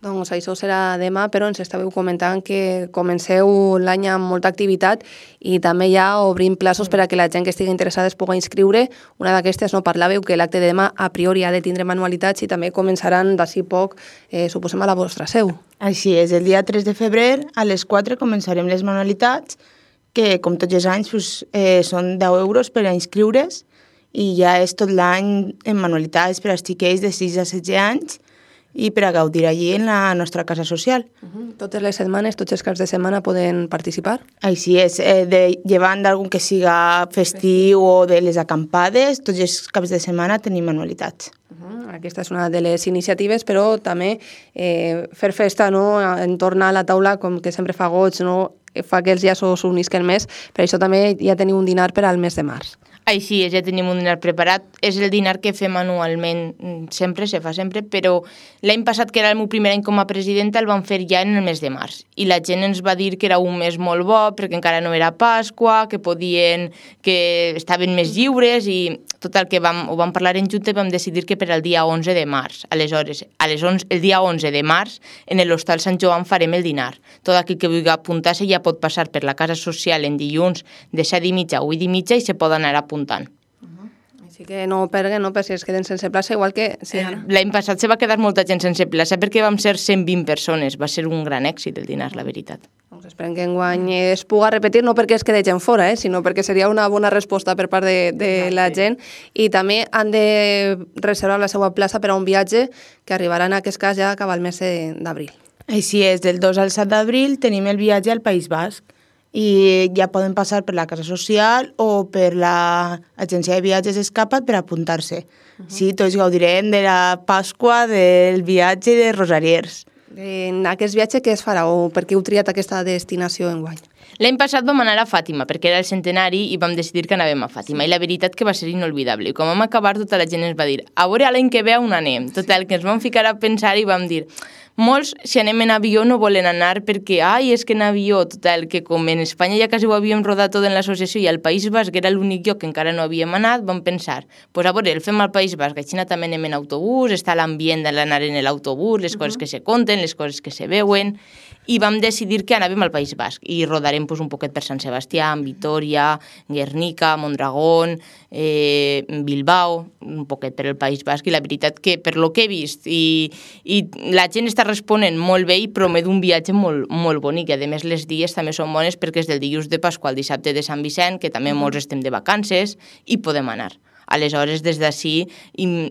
Doncs això serà demà, però ens estàveu comentant que comenceu l'any amb molta activitat i també ja obrim plaços per a que la gent que estigui interessada es pugui inscriure. Una d'aquestes, no parlàveu que l'acte de demà a priori ha de tindre manualitats i també començaran d'ací poc, suposem, a la vostra seu. Així és, el dia 3 de febrer a les 4 començarem les manualitats, que com tots els anys són 10 euros per a inscriure's, i ja és tot l'any en manualitats per als xiquets de 6 a 16 anys i per a gaudir allí en la nostra casa social. Totes les setmanes, tots els caps de setmana poden participar? Així és, llevant d'algun que siga festiu o de les acampades, tots els caps de setmana tenim manualitats. Aquesta és una de les iniciatives, però també fer festa en tornar a la taula, com que sempre fa goig, fa que els llaços s'unisquen més, per això també ja teniu un dinar per al mes de març. Així és, ja tenim un dinar preparat. És el dinar que fem anualment, sempre, se fa sempre, però l'any passat, que era el meu primer any com a presidenta, el vam fer ja en el mes de març. I la gent ens va dir que era un mes molt bo, perquè encara no era Pasqua, que estaven més lliures, i tot el que ho vam parlar en junta i vam decidir que per al dia 11 de març. Aleshores, el dia 11 de març, en l'Hostal Sant Joan farem el dinar. Tot aquell que vulgui apuntar-se ja pot passar per la casa social en dilluns de 7:30 a 8:30 i se pot anar apuntant. Així que no perguen, per si es queden sense plaça, igual que... L'any passat se va quedar molta gent sense plaça perquè vam ser 120 persones. Va ser un gran èxit el dinar, la veritat. Doncs esperem que enguany es puga repetir, no perquè es quede gent fora, sinó perquè seria una bona resposta per part de la gent, i també han de reservar la seva plaça per a un viatge que arribarà en aquest cas ja a acabar el mes d'abril. Així és, del 2 al 7 d'abril tenim el viatge al País Basc i ja poden passar per la Casa Social o per l'agència de viatges Escapa't per apuntar-se. Sí, tots gaudirem de la Pasqua, del viatge de Rosariers. En aquest viatge què es farà o per què heu triat aquesta destinació enguany? L'any passat vam anar a Fàtima, perquè era el centenari i vam decidir que anàvem a Fàtima. I la veritat que va ser inolvidable. I quan vam acabar, tota la gent ens va dir a veure l'any que ve on anem. Total, que ens vam ficar a pensar i vam dir molts, si anem en avió, no volen anar perquè, és que en avió, total, que com en Espanya ja quasi ho havíem rodat tot en l'associació i al País Basc era l'únic lloc que encara no havíem anat, vam pensar, a veure, el fem al País Basc, així també anem en autobús, està l'ambient d'anar en l'autobús, les coses que se conten, les coses que se veuen, i vam decidir que anàvem al País Basc i rodarem un poquet per Sant Sebastià, Vitoria, Guernica, Mondragón, Bilbao, un poquet per el País Basc, i la veritat que per lo que he vist i la gent està responent molt bé i promet un viatge molt, molt bonic, i a més les dies també són bones perquè és del dilluns de Pasqua al dissabte de Sant Vicent, que també molts estem de vacances i podem anar. Aleshores, des d'ací,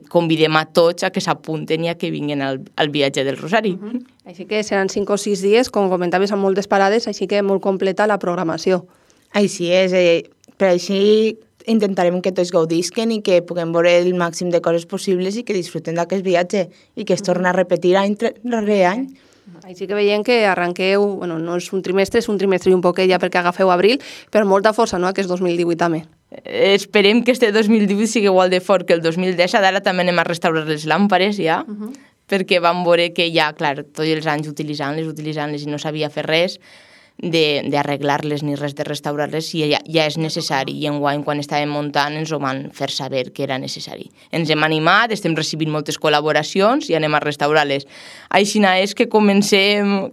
convidem a tots a que s'apunten i a que vinguin al viatge del Rosari. Així que seran 5 o 6 dies, com comentaves, amb moltes parades, així que molt completa la programació. Així és, per així intentarem que tots gaudisquen i que puguem veure el màxim de coses possibles i que disfruten d'aquest viatge i que es torna a repetir any rere any. Així que veiem que arranqueu, no és un trimestre, és un trimestre i un poquet ja perquè agafeu abril, però molta força, no?, aquest 2018 també. Esperem que este 2018 sigui igual de fort que el 2017, ara també anem a restaurar les làmpares ja, perquè vam veure que ja, clar, tots els anys utilitzant-les i no sabia fer res d'arreglar-les ni res de restaurar-les, i ja és necessari, i enguany quan estàvem muntant ens ho van fer saber que era necessari. Ens hem animat, estem recibint moltes col·laboracions i anem a restaurar-les. Així és que comencem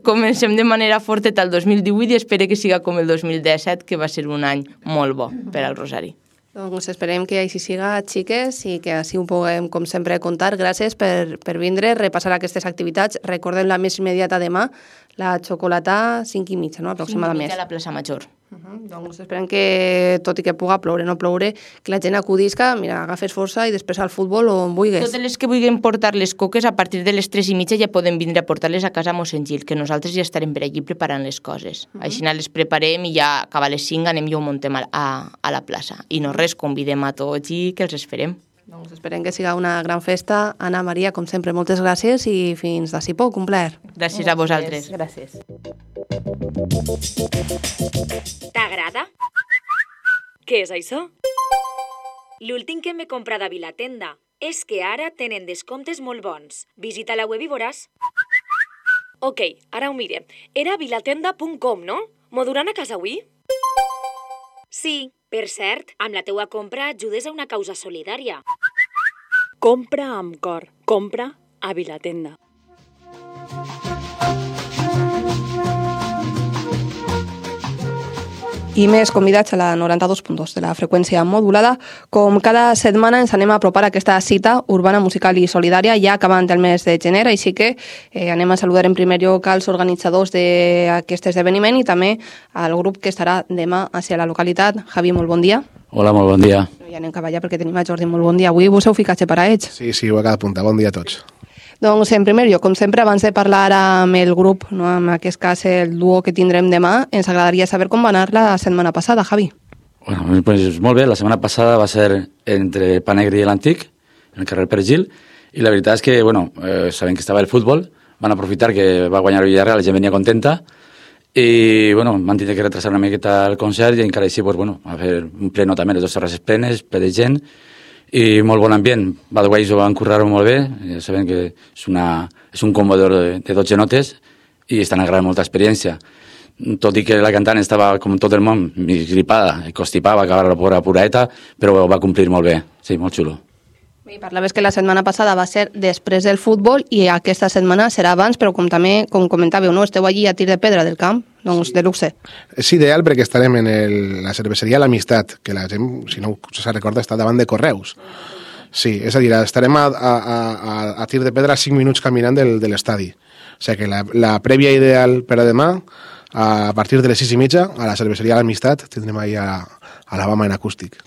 de manera forta el 2018 i espero que siga com el 2017, que va ser un any molt bo per al Rosari. Doncs esperem que així siga, xiques, i que així ho puguem, com sempre, contar. Gràcies per vindre, repassar aquestes activitats. Recordem la més immediata demà, la xocolata 5:30, no?, aproximadament. 5:30 a la plaça Major. Doncs esperem que, tot i que puga ploure, no ploure, que la gent acudisca, mira, agafes força i després al futbol o on vulguis. Totes les que vulguin portar les coques, a partir de les 3:30 ja poden vindre a portar-les a casa a Mossèn Gil, que nosaltres ja estarem per allí preparant les coses. Així les preparem i ja acaba a les 5 anem i ho muntem a la plaça. I no res, convidem a tots i que els esperem. Doncs esperem que siga una gran festa. Anna Maria, com sempre, moltes gràcies i fins d'ací poc, un plaer. Gràcies a vosaltres. Gràcies. T'agrada? Què és això? L'últim que m'he comprat a Vilatenda és que ara tenen descomptes molt bons. Visita la web i veuràs. Ok, ara ho mirem. Era vilatenda.com, no? M'ho duran a casa avui? Sí, per cert, amb la teua compra ajudes a una causa solidària. Compra amb cor. Compra a Vilatenda. I més convidats a la 92.2 de la freqüència modulada. Com cada setmana ens anem a apropar a aquesta cita urbana, musical i solidària ja acabant el mes de gener, així que anem a saludar en primer lloc als organitzadors d'aquest esdeveniment i també al grup que estarà demà hacia la localitat. Javi, molt bon dia. Hola, molt bon dia. Ja anem cap allà perquè tenim a Jordi. Molt bon dia. Avui vos heu ficat separats. Sí, ho he quedat apuntat. Bon dia a tots. Doncs, en primer lloc, com sempre, abans de parlar amb el grup, no, en aquest cas el duo que tindrem demà, ens agradaria saber com va anar la setmana passada, Javi. Bueno, pues molt bé. La setmana passada va ser entre Panegri i l'Antic, en el carrer Pergil, i la veritat és que, bueno, sabent que estava el futbol, van aprofitar que va guanyar el Villarreal, la gent venia contenta, i, bueno, van tenir que retrasar una miqueta el concert i encara així, pues, bueno, a fer un pleno també, les dues terrasses plenes, ple de gent, i molt bon ambient. Badways ho van currar-ho molt bé, ja sabem que és un combo de 12 notes i estan agradant molta experiència. Tot i que la cantant estava, com tot el món, mig gripada, constipava, acabar la pobra puraeta, però ho va complir molt bé. Sí, molt xulo. I parlaves que la setmana passada va ser després del futbol i aquesta setmana serà abans, però com també, com comentàveu, no? Esteu allí a tir de pedra del camp, doncs de luxe. És ideal perquè estarem en la cerveseria L'Amistat, que la gent, si no se recorda, està davant de Correus. Sí, és a dir, estarem a tir de pedra 5 minuts caminant de l'estadi. O sigui que la prèvia ideal per a demà, a partir de les 6:30, a la cerveseria L'Amistat, tindrem ahí a Alabama en acústic.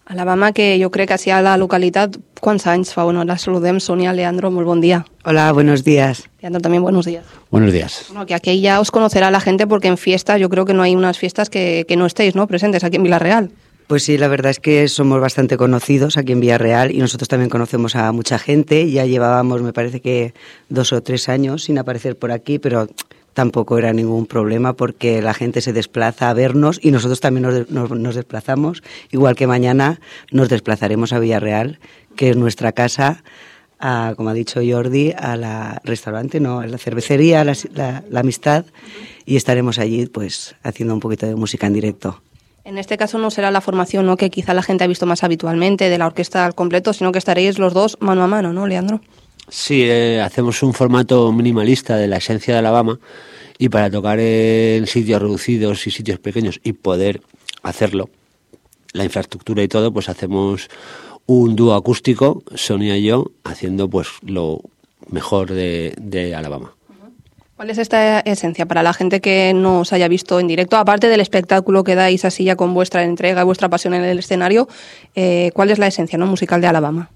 Alabama, que jo crec que així a la localitat, quants anys fa? Bueno, la saludem, Sonia, Leandro, muy buen día. Hola, buenos días. Leandro, también buenos días. Buenos días. Bueno, que aquí ya os conocerá la gente porque en fiestas yo creo que no hay unas fiestas que no estéis, ¿no?, presentes aquí en Villarreal. Pues sí, la verdad es que somos bastante conocidos aquí en Villarreal y nosotros también conocemos a mucha gente. Ya llevábamos, me parece que 2 o 3 años sin aparecer por aquí, pero tampoco era ningún problema porque la gente se desplaza a vernos y nosotros también nos desplazamos. Igual que mañana nos desplazaremos a Villarreal, que es nuestra casa, como ha dicho Jordi, a la restaurante, no, a la cervecería, la Amistad, y estaremos allí pues haciendo un poquito de música en directo. En este caso no será la formación, ¿no?, que quizá la gente ha visto más habitualmente de la orquesta al completo, sino que estaréis los dos mano a mano, ¿no, Leandro? Sí, hacemos un formato minimalista de la esencia de Alabama y para tocar en sitios reducidos y sitios pequeños y poder hacerlo, la infraestructura y todo, pues hacemos un dúo acústico, Sonia y yo, haciendo pues lo mejor de Alabama. ¿Cuál es esta esencia para la gente que no os haya visto en directo? Aparte del espectáculo que dais así ya con vuestra entrega y vuestra pasión en el escenario, ¿cuál es la esencia, no, musical de Alabama?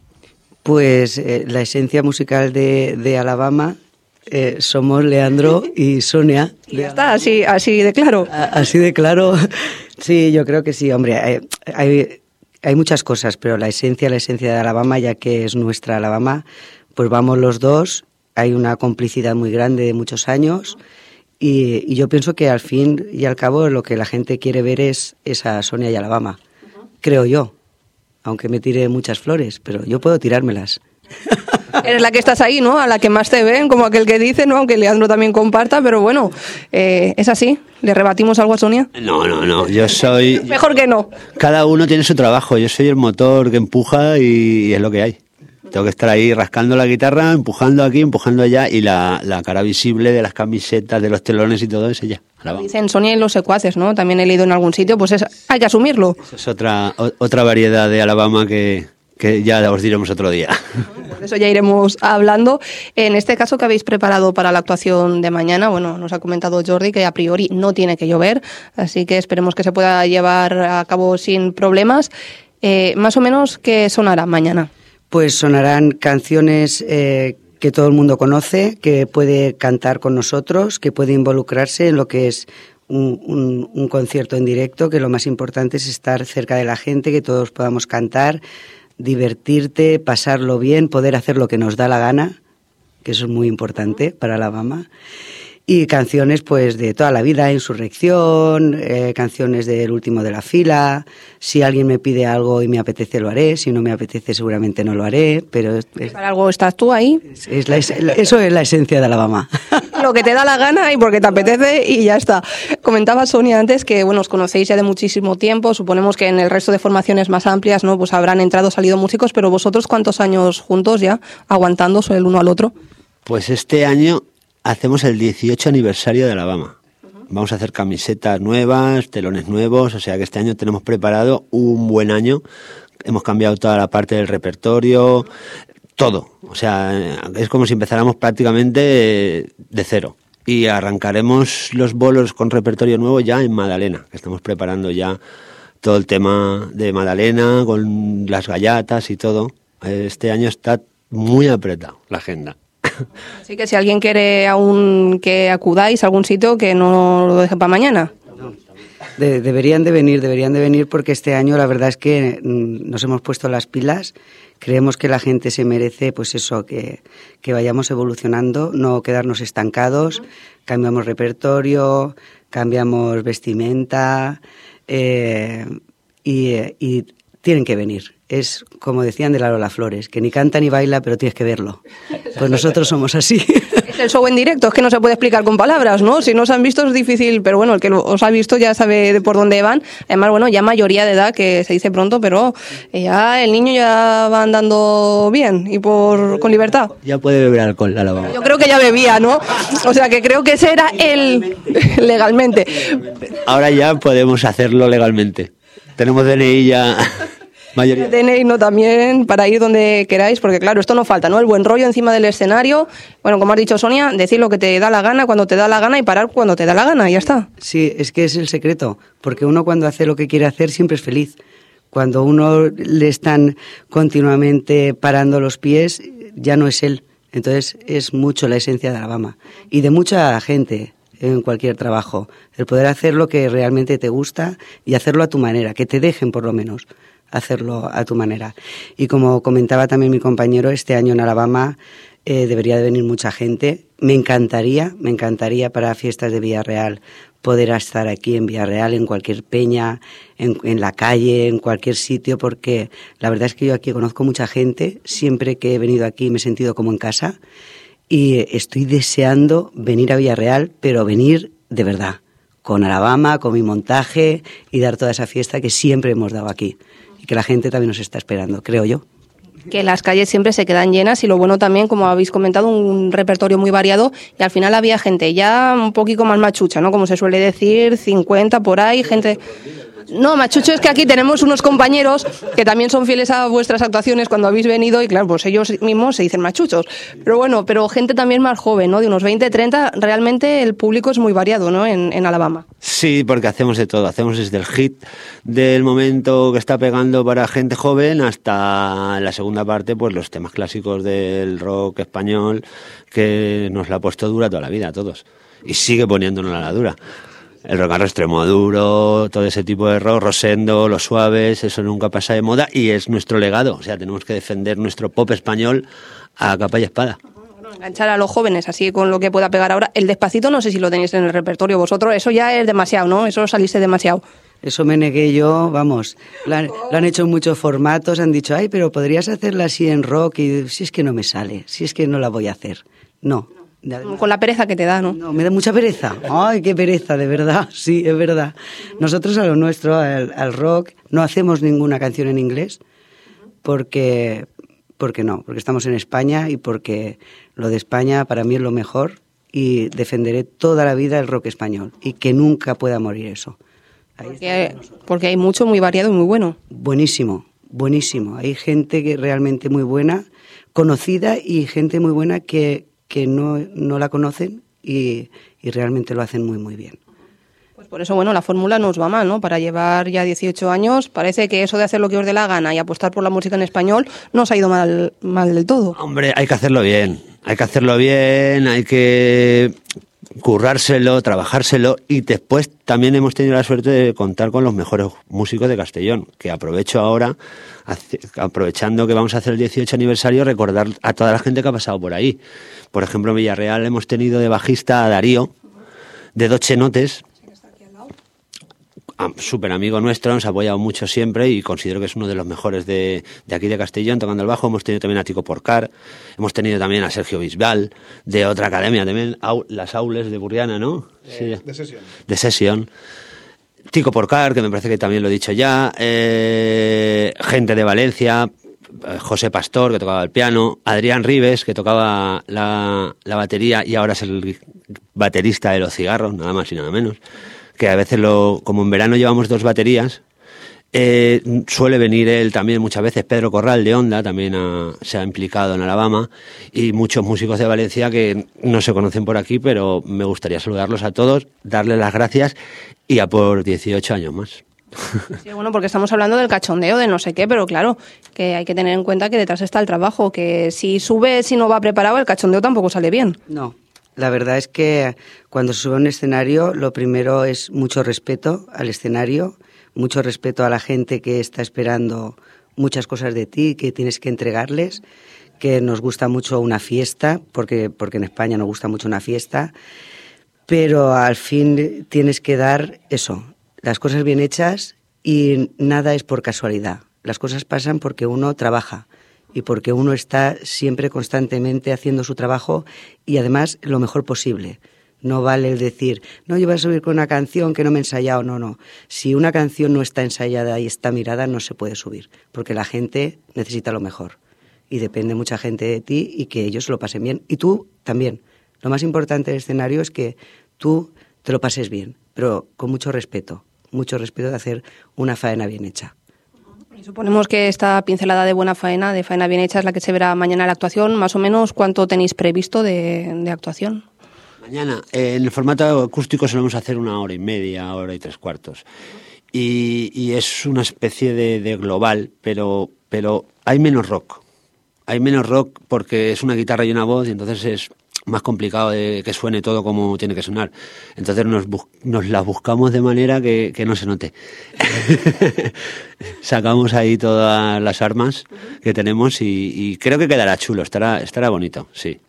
Pues la esencia musical de Alabama somos Leandro y Sonia. Ya está, así de claro. Así de claro. Sí, yo creo que sí, hombre. Hay muchas cosas, pero la esencia de Alabama, ya que es nuestra Alabama, pues vamos los dos. Hay una complicidad muy grande de muchos años y yo pienso que al fin y al cabo lo que la gente quiere ver es a Sonia y Alabama, creo yo. Aunque me tire muchas flores, pero yo puedo tirármelas. Eres la que estás ahí, ¿no? A la que más te ven, como aquel que dice, ¿no? Aunque Leandro también comparta, pero bueno, es así. ¿Le rebatimos algo a Sonia? No, yo soy... Mejor que no. Cada uno tiene su trabajo, yo soy el motor que empuja y es lo que hay. Tengo que estar ahí rascando la guitarra, empujando aquí, empujando allá, y la cara visible de las camisetas, de los telones y todo es ella. Dicen Sonia y los secuaces, ¿no? También he leído en algún sitio, pues hay que asumirlo. Eso es otra variedad de Alabama que ya os diremos otro día. De eso ya iremos hablando. En este caso que habéis preparado para la actuación de mañana, bueno, nos ha comentado Jordi que a priori no tiene que llover, así que esperemos que se pueda llevar a cabo sin problemas. Más o menos, ¿qué sonará mañana? Pues sonarán canciones que todo el mundo conoce, que puede cantar con nosotros, que puede involucrarse en lo que es un concierto en directo, que lo más importante es estar cerca de la gente, que todos podamos cantar, divertirte, pasarlo bien, poder hacer lo que nos da la gana, que eso es muy importante para Alabama. Y canciones pues de toda la vida, Insurrección, canciones del último de la fila. Si alguien me pide algo y me apetece, lo haré. Si no me apetece, seguramente no lo haré. Pero ¿para algo estás tú ahí? Eso es la esencia de Alabama. Lo que te da la gana y porque te apetece y ya está. Comentaba Sonia antes que, bueno, os conocéis ya de muchísimo tiempo. Suponemos que en el resto de formaciones más amplias, ¿no?, pues habrán entrado, salido músicos. Pero vosotros, ¿cuántos años juntos ya, aguantándose el uno al otro? Pues este año hacemos el 18 aniversario de Alabama. Vamos a hacer camisetas nuevas, telones nuevos, o sea que este año tenemos preparado un buen año. Hemos cambiado toda la parte del repertorio, todo. O sea, es como si empezáramos prácticamente de cero. Y arrancaremos los bolos con repertorio nuevo ya en Madalena, que estamos preparando ya todo el tema de Madalena, con las gallatas y todo. Este año está muy apretado la agenda. Así que si alguien quiere aún que acudáis a algún sitio, que no lo deje para mañana. Deberían de venir porque este año la verdad es que nos hemos puesto las pilas. Creemos que la gente se merece, pues eso, que vayamos evolucionando, no quedarnos estancados. Cambiamos repertorio, cambiamos vestimenta y tienen que venir. Es como decían de la Lola Flores, que ni canta ni baila, pero tienes que verlo. Pues nosotros somos así. Es el show en directo, es que no se puede explicar con palabras, ¿no? Si no os han visto es difícil, pero bueno, el que os ha visto ya sabe de por dónde van. Además, bueno, ya mayoría de edad, que se dice pronto, pero ya el niño ya va andando bien y con libertad. Ya puede beber alcohol, la lavaba. Yo creo que ya bebía, ¿no? O sea, que creo que ese era legalmente. Ahora ya podemos hacerlo legalmente. Tenemos DNI ya... mayoría. DNI no también para ir donde queráis, porque claro, esto no falta, ¿no? El buen rollo encima del escenario. Bueno, como has dicho, Sonia, decir lo que te da la gana, cuando te da la gana y parar cuando te da la gana, y ya está. Sí, es que es el secreto, porque uno cuando hace lo que quiere hacer siempre es feliz. Cuando uno le están continuamente parando los pies, ya no es él. Entonces es mucho la esencia de Alabama y de mucha gente en cualquier trabajo. El poder hacer lo que realmente te gusta y hacerlo a tu manera, que te dejen por lo menos hacerlo a tu manera. Y como comentaba también mi compañero, este año en Alabama debería de venir mucha gente. Me encantaría para fiestas de Villarreal poder estar aquí en Villarreal, en cualquier peña, en la calle, en cualquier sitio, porque la verdad es que yo aquí conozco mucha gente. Siempre que he venido aquí me he sentido como en casa y estoy deseando venir a Villarreal, pero venir de verdad, con Alabama, con mi montaje y dar toda esa fiesta que siempre hemos dado aquí. Y que la gente también nos está esperando, creo yo. Que las calles siempre se quedan llenas y lo bueno también, como habéis comentado, un repertorio muy variado y al final había gente ya un poquito más machucha, ¿no? Como se suele decir, 50 por ahí, gente... No, machucho es que aquí tenemos unos compañeros que también son fieles a vuestras actuaciones cuando habéis venido y claro, pues ellos mismos se dicen machuchos. Pero bueno, pero gente también más joven, ¿no? De unos 20, 30, realmente el público es muy variado, ¿no? En Alabama. Sí, porque hacemos de todo. Hacemos desde el hit del momento que está pegando para gente joven hasta la segunda parte, pues los temas clásicos del rock español que nos la ha puesto dura toda la vida a todos. Y sigue poniéndonos la dura. El rock and roll extremo duro, todo ese tipo de rock, Rosendo, los suaves, eso nunca pasa de moda y es nuestro legado. O sea, tenemos que defender nuestro pop español a capa y espada. Enganchar a los jóvenes así con lo que pueda pegar ahora. El Despacito no sé si lo tenéis en el repertorio vosotros, eso ya es demasiado, ¿no? Eso saliste demasiado. Eso me negué yo, vamos, lo han hecho en muchos formatos, han dicho, ay, pero podrías hacerla así en rock y si es que no me sale, si es que no la voy a hacer. No. Con la pereza que te da, ¿no? No, me da mucha pereza. Ay, qué pereza, de verdad. Sí, es verdad. Nosotros a lo nuestro, al rock, no hacemos ninguna canción en inglés porque estamos en España y porque lo de España para mí es lo mejor y defenderé toda la vida el rock español y que nunca pueda morir eso. Porque hay mucho muy variado y muy bueno. Buenísimo, buenísimo. Hay gente que realmente muy buena, conocida y gente muy buena que no la conocen y realmente lo hacen muy, muy bien. Pues por eso, bueno, la fórmula no os va mal, ¿no? Para llevar ya 18 años, parece que eso de hacer lo que os dé la gana y apostar por la música en español no os ha ido mal del todo. Hombre, hay que hacerlo bien, hay que currárselo, trabajárselo y después también hemos tenido la suerte de contar con los mejores músicos de Castellón, que aprovecho ahora, aprovechando que vamos a hacer el 18 aniversario, recordar a toda la gente que ha pasado por ahí. Por ejemplo, en Villarreal hemos tenido de bajista a Darío, de Doche Notes, súper amigo nuestro, nos ha apoyado mucho siempre y considero que es uno de los mejores de aquí de Castellón tocando el bajo. Hemos tenido también a Tico Porcar, hemos tenido también a Sergio Bisbal, de otra academia también, las Aules de Burriana, ¿no? Sí. De Sesión. Tico Porcar, que me parece que también lo he dicho ya, gente de Valencia, José Pastor, que tocaba el piano, Adrián Ribes, que tocaba la batería y ahora es el baterista de Los Cigarros, nada más y nada menos. Que a veces, como en verano llevamos 2 baterías, suele venir él también muchas veces. Pedro Corral de Onda también se ha implicado en Alabama y muchos músicos de Valencia que no se conocen por aquí, pero me gustaría saludarlos a todos, darles las gracias y a por 18 años más. Sí, bueno, porque estamos hablando del cachondeo, de no sé qué, pero claro, que hay que tener en cuenta que detrás está el trabajo, que si sube, si no va preparado, el cachondeo tampoco sale bien. No, la verdad es que cuando se sube a un escenario, lo primero es mucho respeto al escenario, mucho respeto a la gente que está esperando muchas cosas de ti, que tienes que entregarles, que nos gusta mucho una fiesta, porque en España nos gusta mucho una fiesta, pero al fin tienes que dar eso, las cosas bien hechas y nada es por casualidad. Las cosas pasan porque uno trabaja y porque uno está siempre constantemente haciendo su trabajo y además lo mejor posible. No vale el decir, no, yo voy a subir con una canción que no me he ensayado. No. Si una canción no está ensayada y está mirada, no se puede subir, porque la gente necesita lo mejor. Y depende mucha gente de ti y que ellos lo pasen bien. Y tú también. Lo más importante del escenario es que tú te lo pases bien, pero con mucho respeto de hacer una faena bien hecha. Y suponemos que esta pincelada de buena faena, de faena bien hecha, es la que se verá mañana en la actuación. Más o menos, ¿cuánto tenéis previsto de actuación? Mañana, en el formato acústico solemos hacer 1 hora y media, 1 hora y 3/4. Y es una especie de global, pero hay menos rock. Hay menos rock porque es una guitarra y una voz y entonces es más complicado de que suene todo como tiene que sonar. Entonces nos las buscamos de manera que no se note. Sacamos ahí todas las armas que tenemos y creo que quedará chulo, estarà bonito, sí.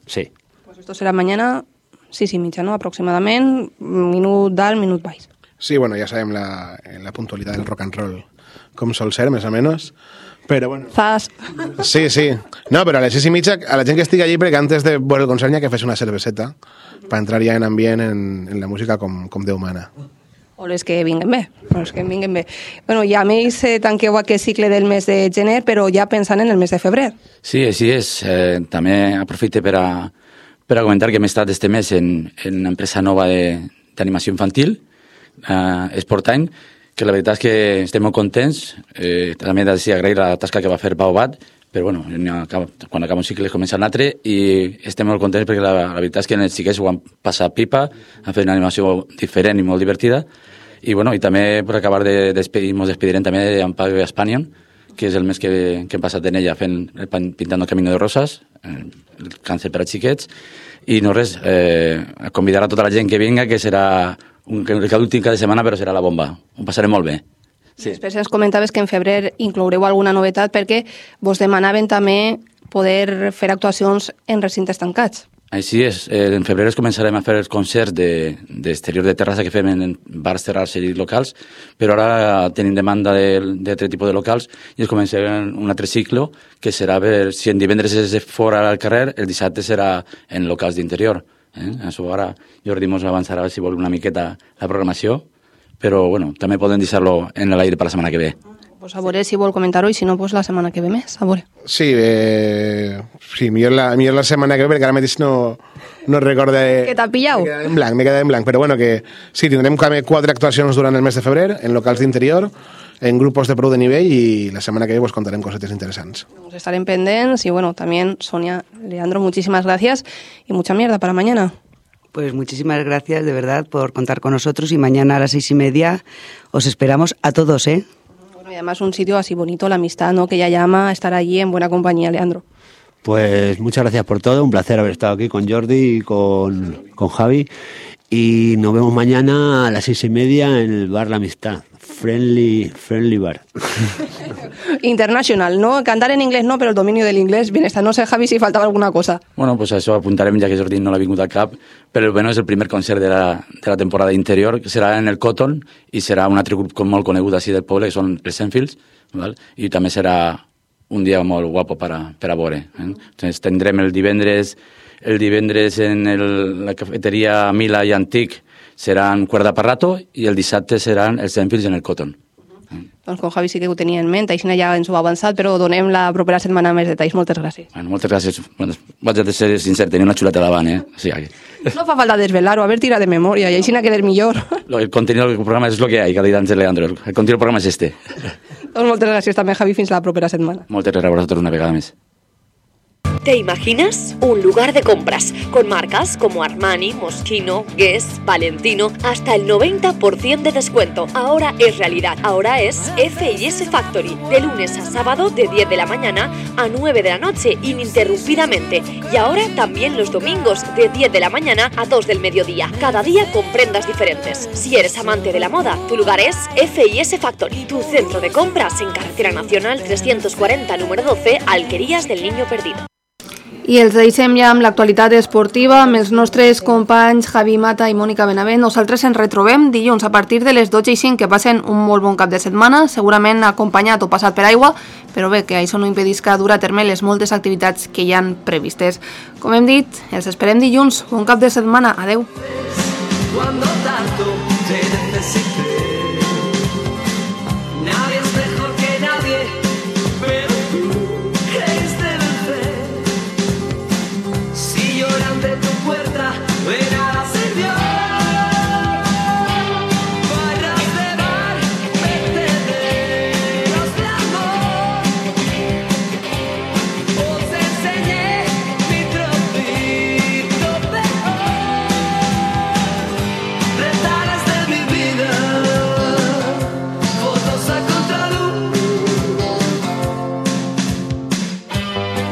Pues esto será mañana, 6:30, ¿no? Aproximadamente, minut dalt, minut baix. Sí, bueno, ja sabem la puntualitat del rock and roll com sol ser, més o menys. Però bueno. Zas. Sí. No, però a les 6:30, a la gent que estigui allí, perquè antes de veure el concert ja que fes una cerveseta per entrar ja en ambient en la música com Déu mana. O les que vinguen bé. Bueno, ja més tanqueu aquest cicle del mes de gener, però ja pensant en el mes de febrer. Sí, així és. També aprofite per a comentar que hem estat este mes en una empresa nova d'animació infantil, Sportime, que la veritat és que estem molt contents. També he de dir agrair la tasca que va fer Pau Bat, però bueno, quan acaba un cicle comença un altre i estem molt contents perquè la veritat és que els xiquets ho han passat pipa, han fet una animació diferent i molt divertida. I bueno, i també per acabar de despedir, ens despedirem també d'Amparo Espanion, que és el mes que hem passat en ella pintant el Camino de Rosas, el càncer per a xiquets, i no res, convidar a tota la gent que vinga, que serà l'últim cada setmana, però serà la bomba. Ho passarem molt bé. Sí. Després ens comentaves que en febrer incloureu alguna novetat perquè vos demanaven també poder fer actuacions en recintes tancats. Així és. En febrer començarem a fer els concerts d'exterior de terrassa que fem en bars, terrasses i locals, però ara tenim demanda d'altre tipus de locals i ens començarem un altre cicle que serà, si en divendres és fora al carrer, el dissabte serà en locals d'interior. Això ara Jordi ens avançarà si vol una miqueta la programació, però bueno, també podem deixar-lo en l'aire per la setmana que ve. Pues a veure si vol comentar-ho i si no, pues la setmana que ve més, a veure. Sí, millor la setmana que ve, perquè ara mateix no recorde... Que t'ha pillat? M'he quedat en blanc, però bueno, que sí, tindrem 4 actuacions durant el mes de febrer, en locals d'interior, en grupos de prou de nivell i la setmana que ve pues contarem cosetes interesants. Nos estarem pendents y bueno, también Sonia, Leandro, muchísimas gracias y mucha mierda para mañana. Pues muchísimas gracias de verdad por contar con nosotros y mañana a las 6:30 os esperamos a todos, ¿eh? Bueno, y además un sitio así bonito, la amistad, ¿no? Que ella llama a estar allí en buena compañía, Leandro. Pues muchas gracias por todo, un placer haber estado aquí con Jordi y con Javi y nos vemos mañana a las 6:30 en el bar La Amistad. Friendly bar. International, ¿no? Cantar en inglés no, pero el dominio del inglés bien está. No sé, Javi, si faltava alguna cosa. Bueno, pues això apuntarem, ja que Jordi no l'ha vingut al cap, però bueno, és el primer concert de la temporada interior, que serà en el Cotton, i serà un altre grup molt conegut així del poble, que són els Enfields, val? I també serà un dia molt guapo per a veure. Entonces, tindrem el divendres en la cafeteria Mila i Antic, seran Cuerda Parrato i el dissabte seran els Enfields en el Cotton. Doncs con Javi sí que ho tenia en ment, així ja ens ho ha avançat, però donem la propera setmana més detalls. Moltes gràcies. Bueno, moltes gràcies. Bueno, vaig a ser sincer, tenia una xuleta davant, O sigui, no fa falta desvelar-ho, a ver, tira de memòria, i així n'ha quedat millor. El contenido del programa és el que hi, que ha dit antes Leandro. El contenido del programa és este. Doncs moltes gràcies també, Javi, fins la propera setmana. Moltes gràcies a vosaltres una vegada més. ¿Te imaginas? Un lugar de compras con marcas como Armani, Moschino, Guess, Valentino, hasta el 90% de descuento. Ahora es realidad. Ahora es F&S Factory, de lunes a sábado de 10 de la mañana a 9 de la noche, ininterrumpidamente. Y ahora también los domingos de 10 de la mañana a 2 del mediodía. Cada día con prendas diferentes. Si eres amante de la moda, tu lugar es F&S Factory, tu centro de compras en Carretera Nacional 340, número 12, Alquerías del Niño Perdido. I els deixem ja amb l'actualitat esportiva, amb els nostres companys Javi Mata i Mònica Benavent. Nosaltres ens retrobem dilluns a partir de les 12:05, que passen un molt bon cap de setmana, segurament acompanyat o passat per aigua, però bé, que això no impedisca dur a terme les moltes activitats que hi han previstes. Com hem dit, els esperem dilluns. Bon cap de setmana. Adeu. Cuando tanto te necesité, nadie es mejor que nadie, pero tú creíste vencer. Si lloran de tu puerta, de nada sirvió. Barras de bar, vertederos de amor. Os enseñé mi trocito peor. Retales de mi vida, fotos a contraluz.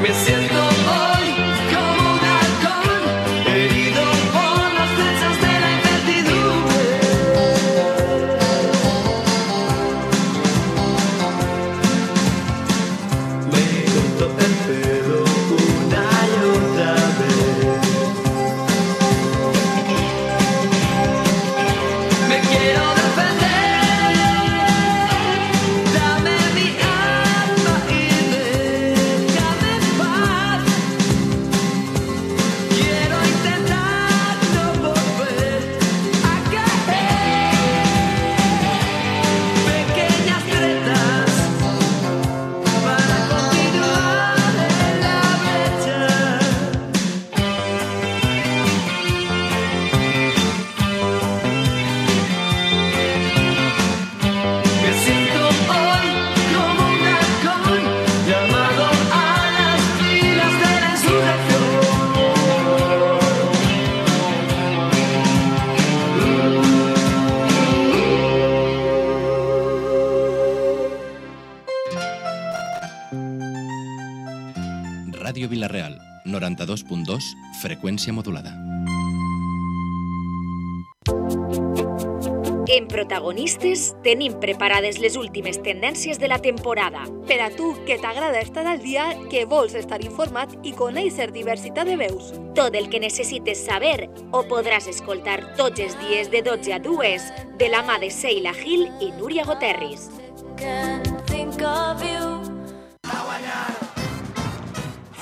Me siento hoy como un halcón, herido por las flechas de la incertidumbre. Me corto el pelo una y otra vez. Me quiero defender, dame mi alma y déjame en paz. Quiero intentar no volver a caer. Pequeñas tretas para continuar en la brecha. Me siento hoy como un halcón llamado a las filas de la insurrección. Ràdio Vila-real, 92.2, freqüència modulada. En Protagonistes tenim preparades les últimes tendències de la temporada. Per a tu, que t'agrada estar al dia, que vols estar informat i conèixer diversitat de veus. Tot el que necessites saber ho podràs escoltar tots els dies de 12 a 2 de la mà de Seila Gil i Núria Goterris.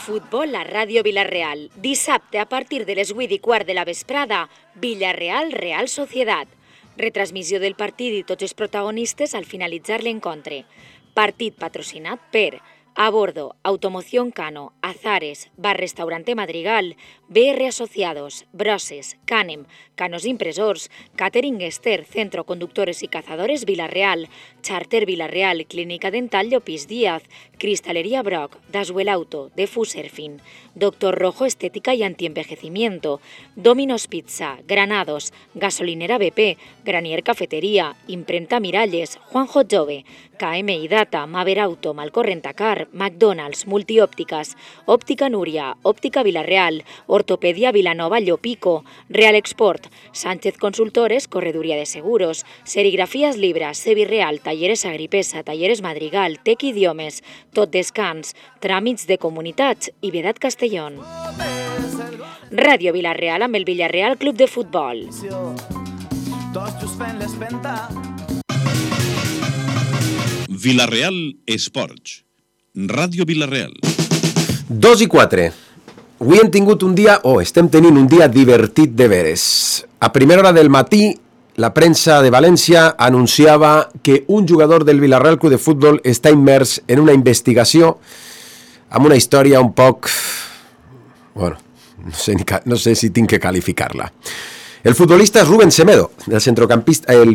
Futbol a Ràdio Vila-real. Dissabte a partir de les 8:15 de la vesprada, Villarreal-Real Societat. Retransmissió del partit i tots els protagonistes al finalitzar l'encontre. Partit patrocinat per A Bordo, Automoción Cano, Azares, Bar Restaurante Madrigal, BR Asociados, Broses, Canem, Canos Impresors, Catering Ester, Centro Conductores y Cazadores Vila-real, Charter Vila-real, Clínica Dental Llopis Díaz, Cristalería Brock, Daswell Auto, Defuserfin, Doctor Rojo Estética y Antienvejecimiento, Domino's Pizza, Granados, Gasolinera BP, Granier Cafetería, Imprenta Miralles, Juanjo Jove, KMI Data, Maver Auto, Malcorrentacar, McDonald's, Multiópticas, Óptica Núria, Óptica Vila-real, Ortopedia Vilanova Llopico, Real Export, Sánchez Consultores, Correduría de Seguros, Serigrafías Libras, Sevirreal, Talleres Agripesa, Talleres Madrigal, Tec Idiomes, Tot Descans, Tràmits de Comunitats i Vedat Castellón. Ràdio Vila-real amb el Villarreal Club de Futbol. Vila-real Esports. Ràdio Vila-real. 2:04. Avui hem tingut un dia, estem tenint un dia divertit de veres. A primera hora del matí, la premsa de València anunciava que un jugador del Villarreal Club de Futbol està immers en una investigació amb una història un poc... Bueno, no sé si tinc que calificar-la. El futbolista és Rubén Semedo, el centrocampista, el